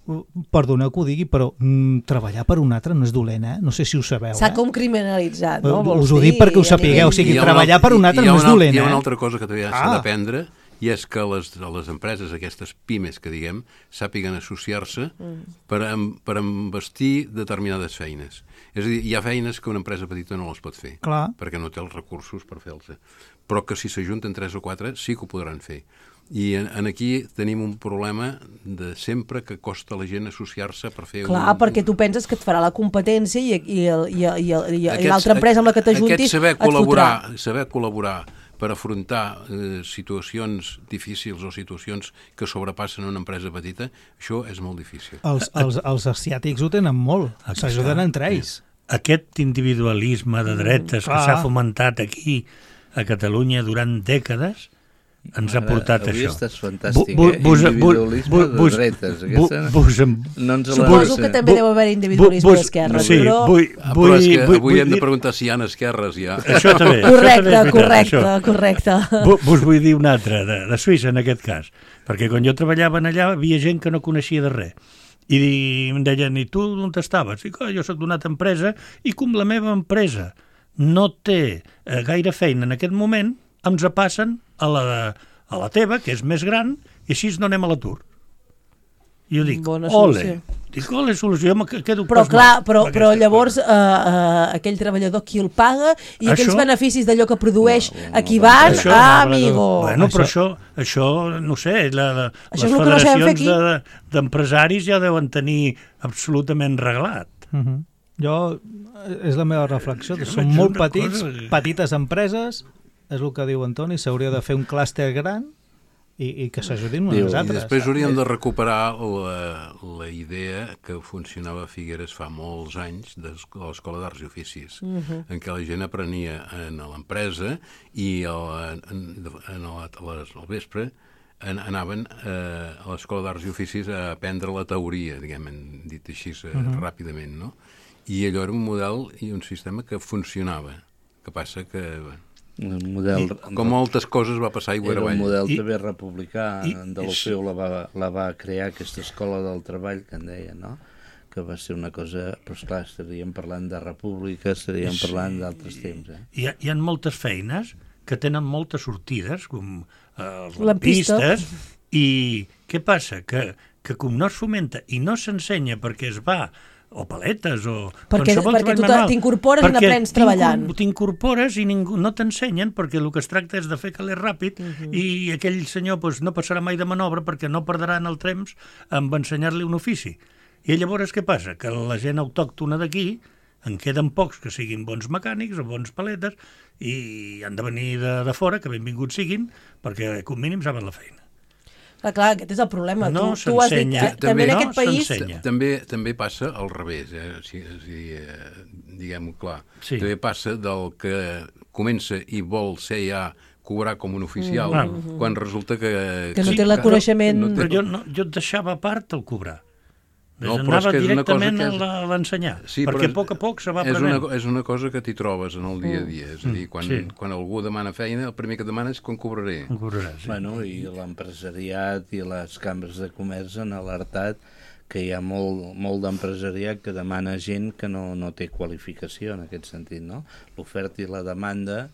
uh, perdoneu que ho digui, però mm, treballar per un altre no és dolent, eh? No sé si ho sabeu. S'ha eh? com criminalitzat, no? Uh, us ho dic perquè ho sapigueu, o sigui, treballar per un altre no és dolent, eh? Hi ha una altra cosa que també s'ha d'aprendre, i és que les, les empreses, aquestes pimes que diguem, sàpiguen associar-se mm. per, per embestir determinades feines. És a dir, hi ha feines que una empresa petita no les pot fer, clar, perquè no té els recursos per fer-les. Però que si s'ajunten tres o quatre sí que ho podran fer. I en, en aquí tenim un problema de sempre que costa a la gent associar-se per fer... Clar, un, perquè tu penses que et farà la competència i, i, i, i, i, aquests, i l'altra empresa amb la que t'ajuntis saber col·laborar, saber col·laborar per afrontar eh, situacions difícils o situacions que sobrepassen una empresa petita, això és molt difícil. Els, els, els asiàtics ho tenen molt, s'ajuden entre ells. Aquest individualisme de dretes mm, que s'ha fomentat aquí a Catalunya durant dècades ens ha portat Ara, això. Avui estàs fantàstic, eh? Individualisme de dretes. Aquesta no ens Suposo que també deu haver individualisme d'esquerres. Sí, però... Vull, ah, però és que avui hem de preguntar si hi ha esquerres ja. Això també. Correcte, correcte, correcte. Vos vull dir una altra, de, de Suïssa en aquest cas, perquè quan jo treballava allà hi havia gent que no coneixia de res. I em deien, i tu on estaves? I jo soc d'una altra empresa i com la meva empresa no té eh, gaire feina en aquest moment, ens passen a la, a la teva, que és més gran, i així no anem a l'atur. I jo dic, ole, dic, ole, solució, jo me quedo però clar, però, però llavors uh, uh, aquell treballador qui el paga i això? Aquells beneficis d'allò que produeix no, no, a qui van, això, ah, amigo. Bueno, però això, això no sé, la, la, les federacions no de, d'empresaris ja deuen tenir absolutament reglat. Uh -huh. Jo, és la meva reflexió, que són molt petits, cosa... petites empreses, és el que diu Antoni, s'hauria de fer un clúster gran i, i que s'ajudin unes altres. I després hauríem de recuperar la, la idea que funcionava a Figueres fa molts anys de l'Escola d'Arts i Oficis, uh-huh. en què la gent aprenia en l'empresa i el, en, en el, al vespre en, anaven eh, a l'Escola d'Arts i Oficis a aprendre la teoria, diguem, dit així eh, uh-huh. ràpidament, no? I allò era un model i un sistema que funcionava. Que passa que... Bueno, el model, I, com moltes coses va passar aigua avall. Era un model I, també republicà, i, en Deulofeu la, va, la va crear aquesta escola del treball que en deia, no? Que va ser una cosa, però esclar, estaríem parlant de república, estaríem sí. parlant d'altres temps. Eh? Hi, ha, hi ha moltes feines que tenen moltes sortides, com els lampistes, i què passa? Que, que com no es fomenta i no s'ensenya perquè es va, o paletes, o perquè, perquè tu t'incorpores i n'aprens treballant. T'incorpores i ningú, no t'ensenyen, perquè el que es tracta és de fer calés ràpid, uh-huh. i aquell senyor pues, no passarà mai de manobra perquè no perdrà en el temps amb ensenyar-li un ofici. I llavors què passa? Que la gent autòctona d'aquí en queden pocs que siguin bons mecànics o bons paletes i han de venir de, de fora, que benvinguts siguin, perquè com mínim saben la feina. Clar, clar, aquest és el problema. No tu, tu has dit que també, també en no aquest país... També, també passa al revés, eh? si, si, eh, diguem-ho clar. Sí. També passa del que comença i vol ser ja cobrar com un oficial, mm-hmm. quan resulta que... Que no té el coneixement... No, no té... Però jo, no, jo et deixava a part el cobrar. No, anava directament és... a l'ensenyar, sí, perquè a poc a poc se va aprenent. És una, és una cosa que t'hi trobes en el dia a dia, és a dir, quan, sí. quan algú demana feina, el primer que demana és quan cobraré. Com cobraràs, sí. Bueno, i l'empresariat i les cambres de comerç han alertat que hi ha molt, molt d'empresariat que demana gent que no, no té qualificació en aquest sentit, no? L'oferta i la demanda,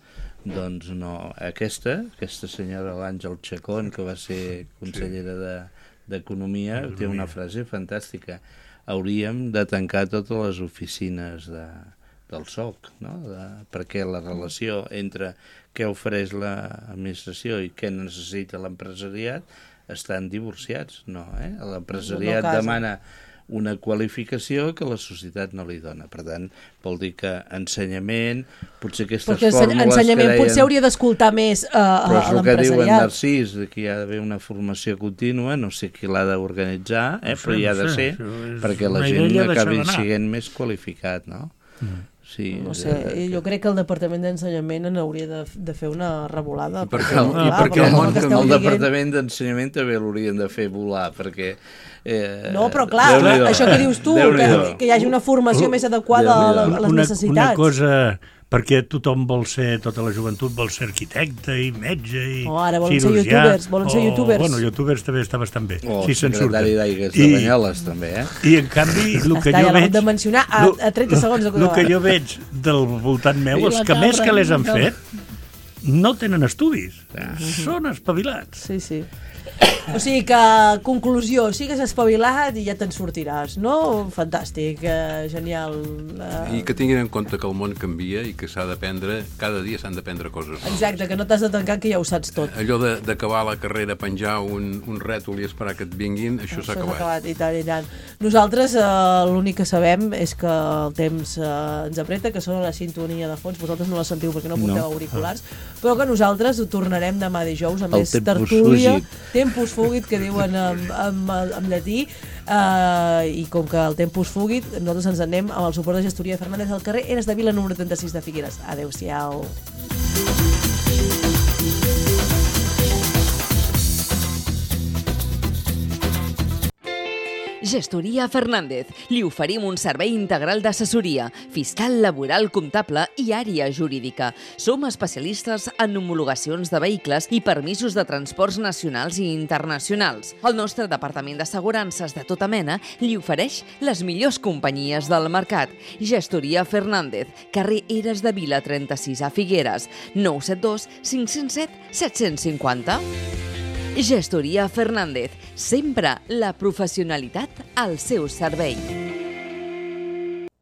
doncs no. Aquesta, aquesta senyora l'Àngel Chacón, que va ser consellera de d'Economia, té una frase fantàstica. Hauríem de tancar totes les oficines de, del S O C, no? De, perquè la relació entre què ofereix l'administració i què necessita l'empresariat estan divorciats, no? Eh? L'empresariat no demana una qualificació que la societat no li dona. Per tant, vol dir que ensenyament, potser aquestes Perquè fórmules ensenyament que deien... potser hauria d'escoltar més uh, a l'empresariat. Però és el que diuen Narcís, que hi ha d'haver una formació contínua, no sé qui l'ha d'organitzar, eh, no sé, però hi ha de ser, no sé, perquè la gent acabi sent més qualificat, no? Mm. Sí, no sé, de... jo crec que el Departament d'Ensenyament en hauria de, de fer una revolada. I perquè el, i perquè el, món, que el dient... Departament d'Ensenyament també l'haurien de fer volar, perquè... Eh, no, però clar, això que dius tu, que, que hi hagi una formació més adequada a les una, necessitats. Una cosa... perquè tothom vol ser, tota la joventut vol ser arquitecte i metge i oh, ara volen cirurgià. Ser youtubers, volen ser youtubers. Bueno, youtubers també està bastant bé. O sí, secretari d'aigues de Banyoles, també, eh? I en canvi, el que Està, jo ja veig... de mencionar a, a trenta segons. El que jo veig del voltant meu, els que més que les han fet, no tenen estudis. Ah. Són espavilats. Sí, sí. O sigui que, conclusió, sigues espavilat i ja te'n sortiràs, no? Fantàstic, eh, genial. Eh... I que tinguin en compte que el món canvia i que s'ha d'aprendre, cada dia s'han d'aprendre coses noves. Exacte, que no t'has de tancar, que ja ho saps tot. Allò d'acabar la carrera, penjar un, un rètol i esperar que et vinguin, això s'ha acabat. acabat. I tant, i tant. Nosaltres eh, l'únic que sabem és que el temps eh, ens apreta, que sona la sintonia de fons, vosaltres no la sentiu perquè no porteu no. auriculars, però que nosaltres ho tornarem demà dijous amb més tertúlia. Tempus fugit, que diuen en, en, en llatí, uh, i com que el tempus fugit, nosaltres ens anem amb el suport de gestoria de Fernández al carrer Eres de Vila número trenta-sis de Figueres. Adéu-siau. Gestoria Fernández. Li oferim un servei integral d'assessoria, fiscal, laboral, comptable i àrea jurídica. Som especialistes en homologacions de vehicles i permisos de transports nacionals i internacionals. El nostre departament d'assegurances de tota mena li ofereix les millors companyies del mercat. Gestoria Fernández, carrer Eres de Vila trenta-sis a Figueres, nou set dos cinc zero set set cinc zero. Gestoria Fernández, sempre la professionalitat al seu servei.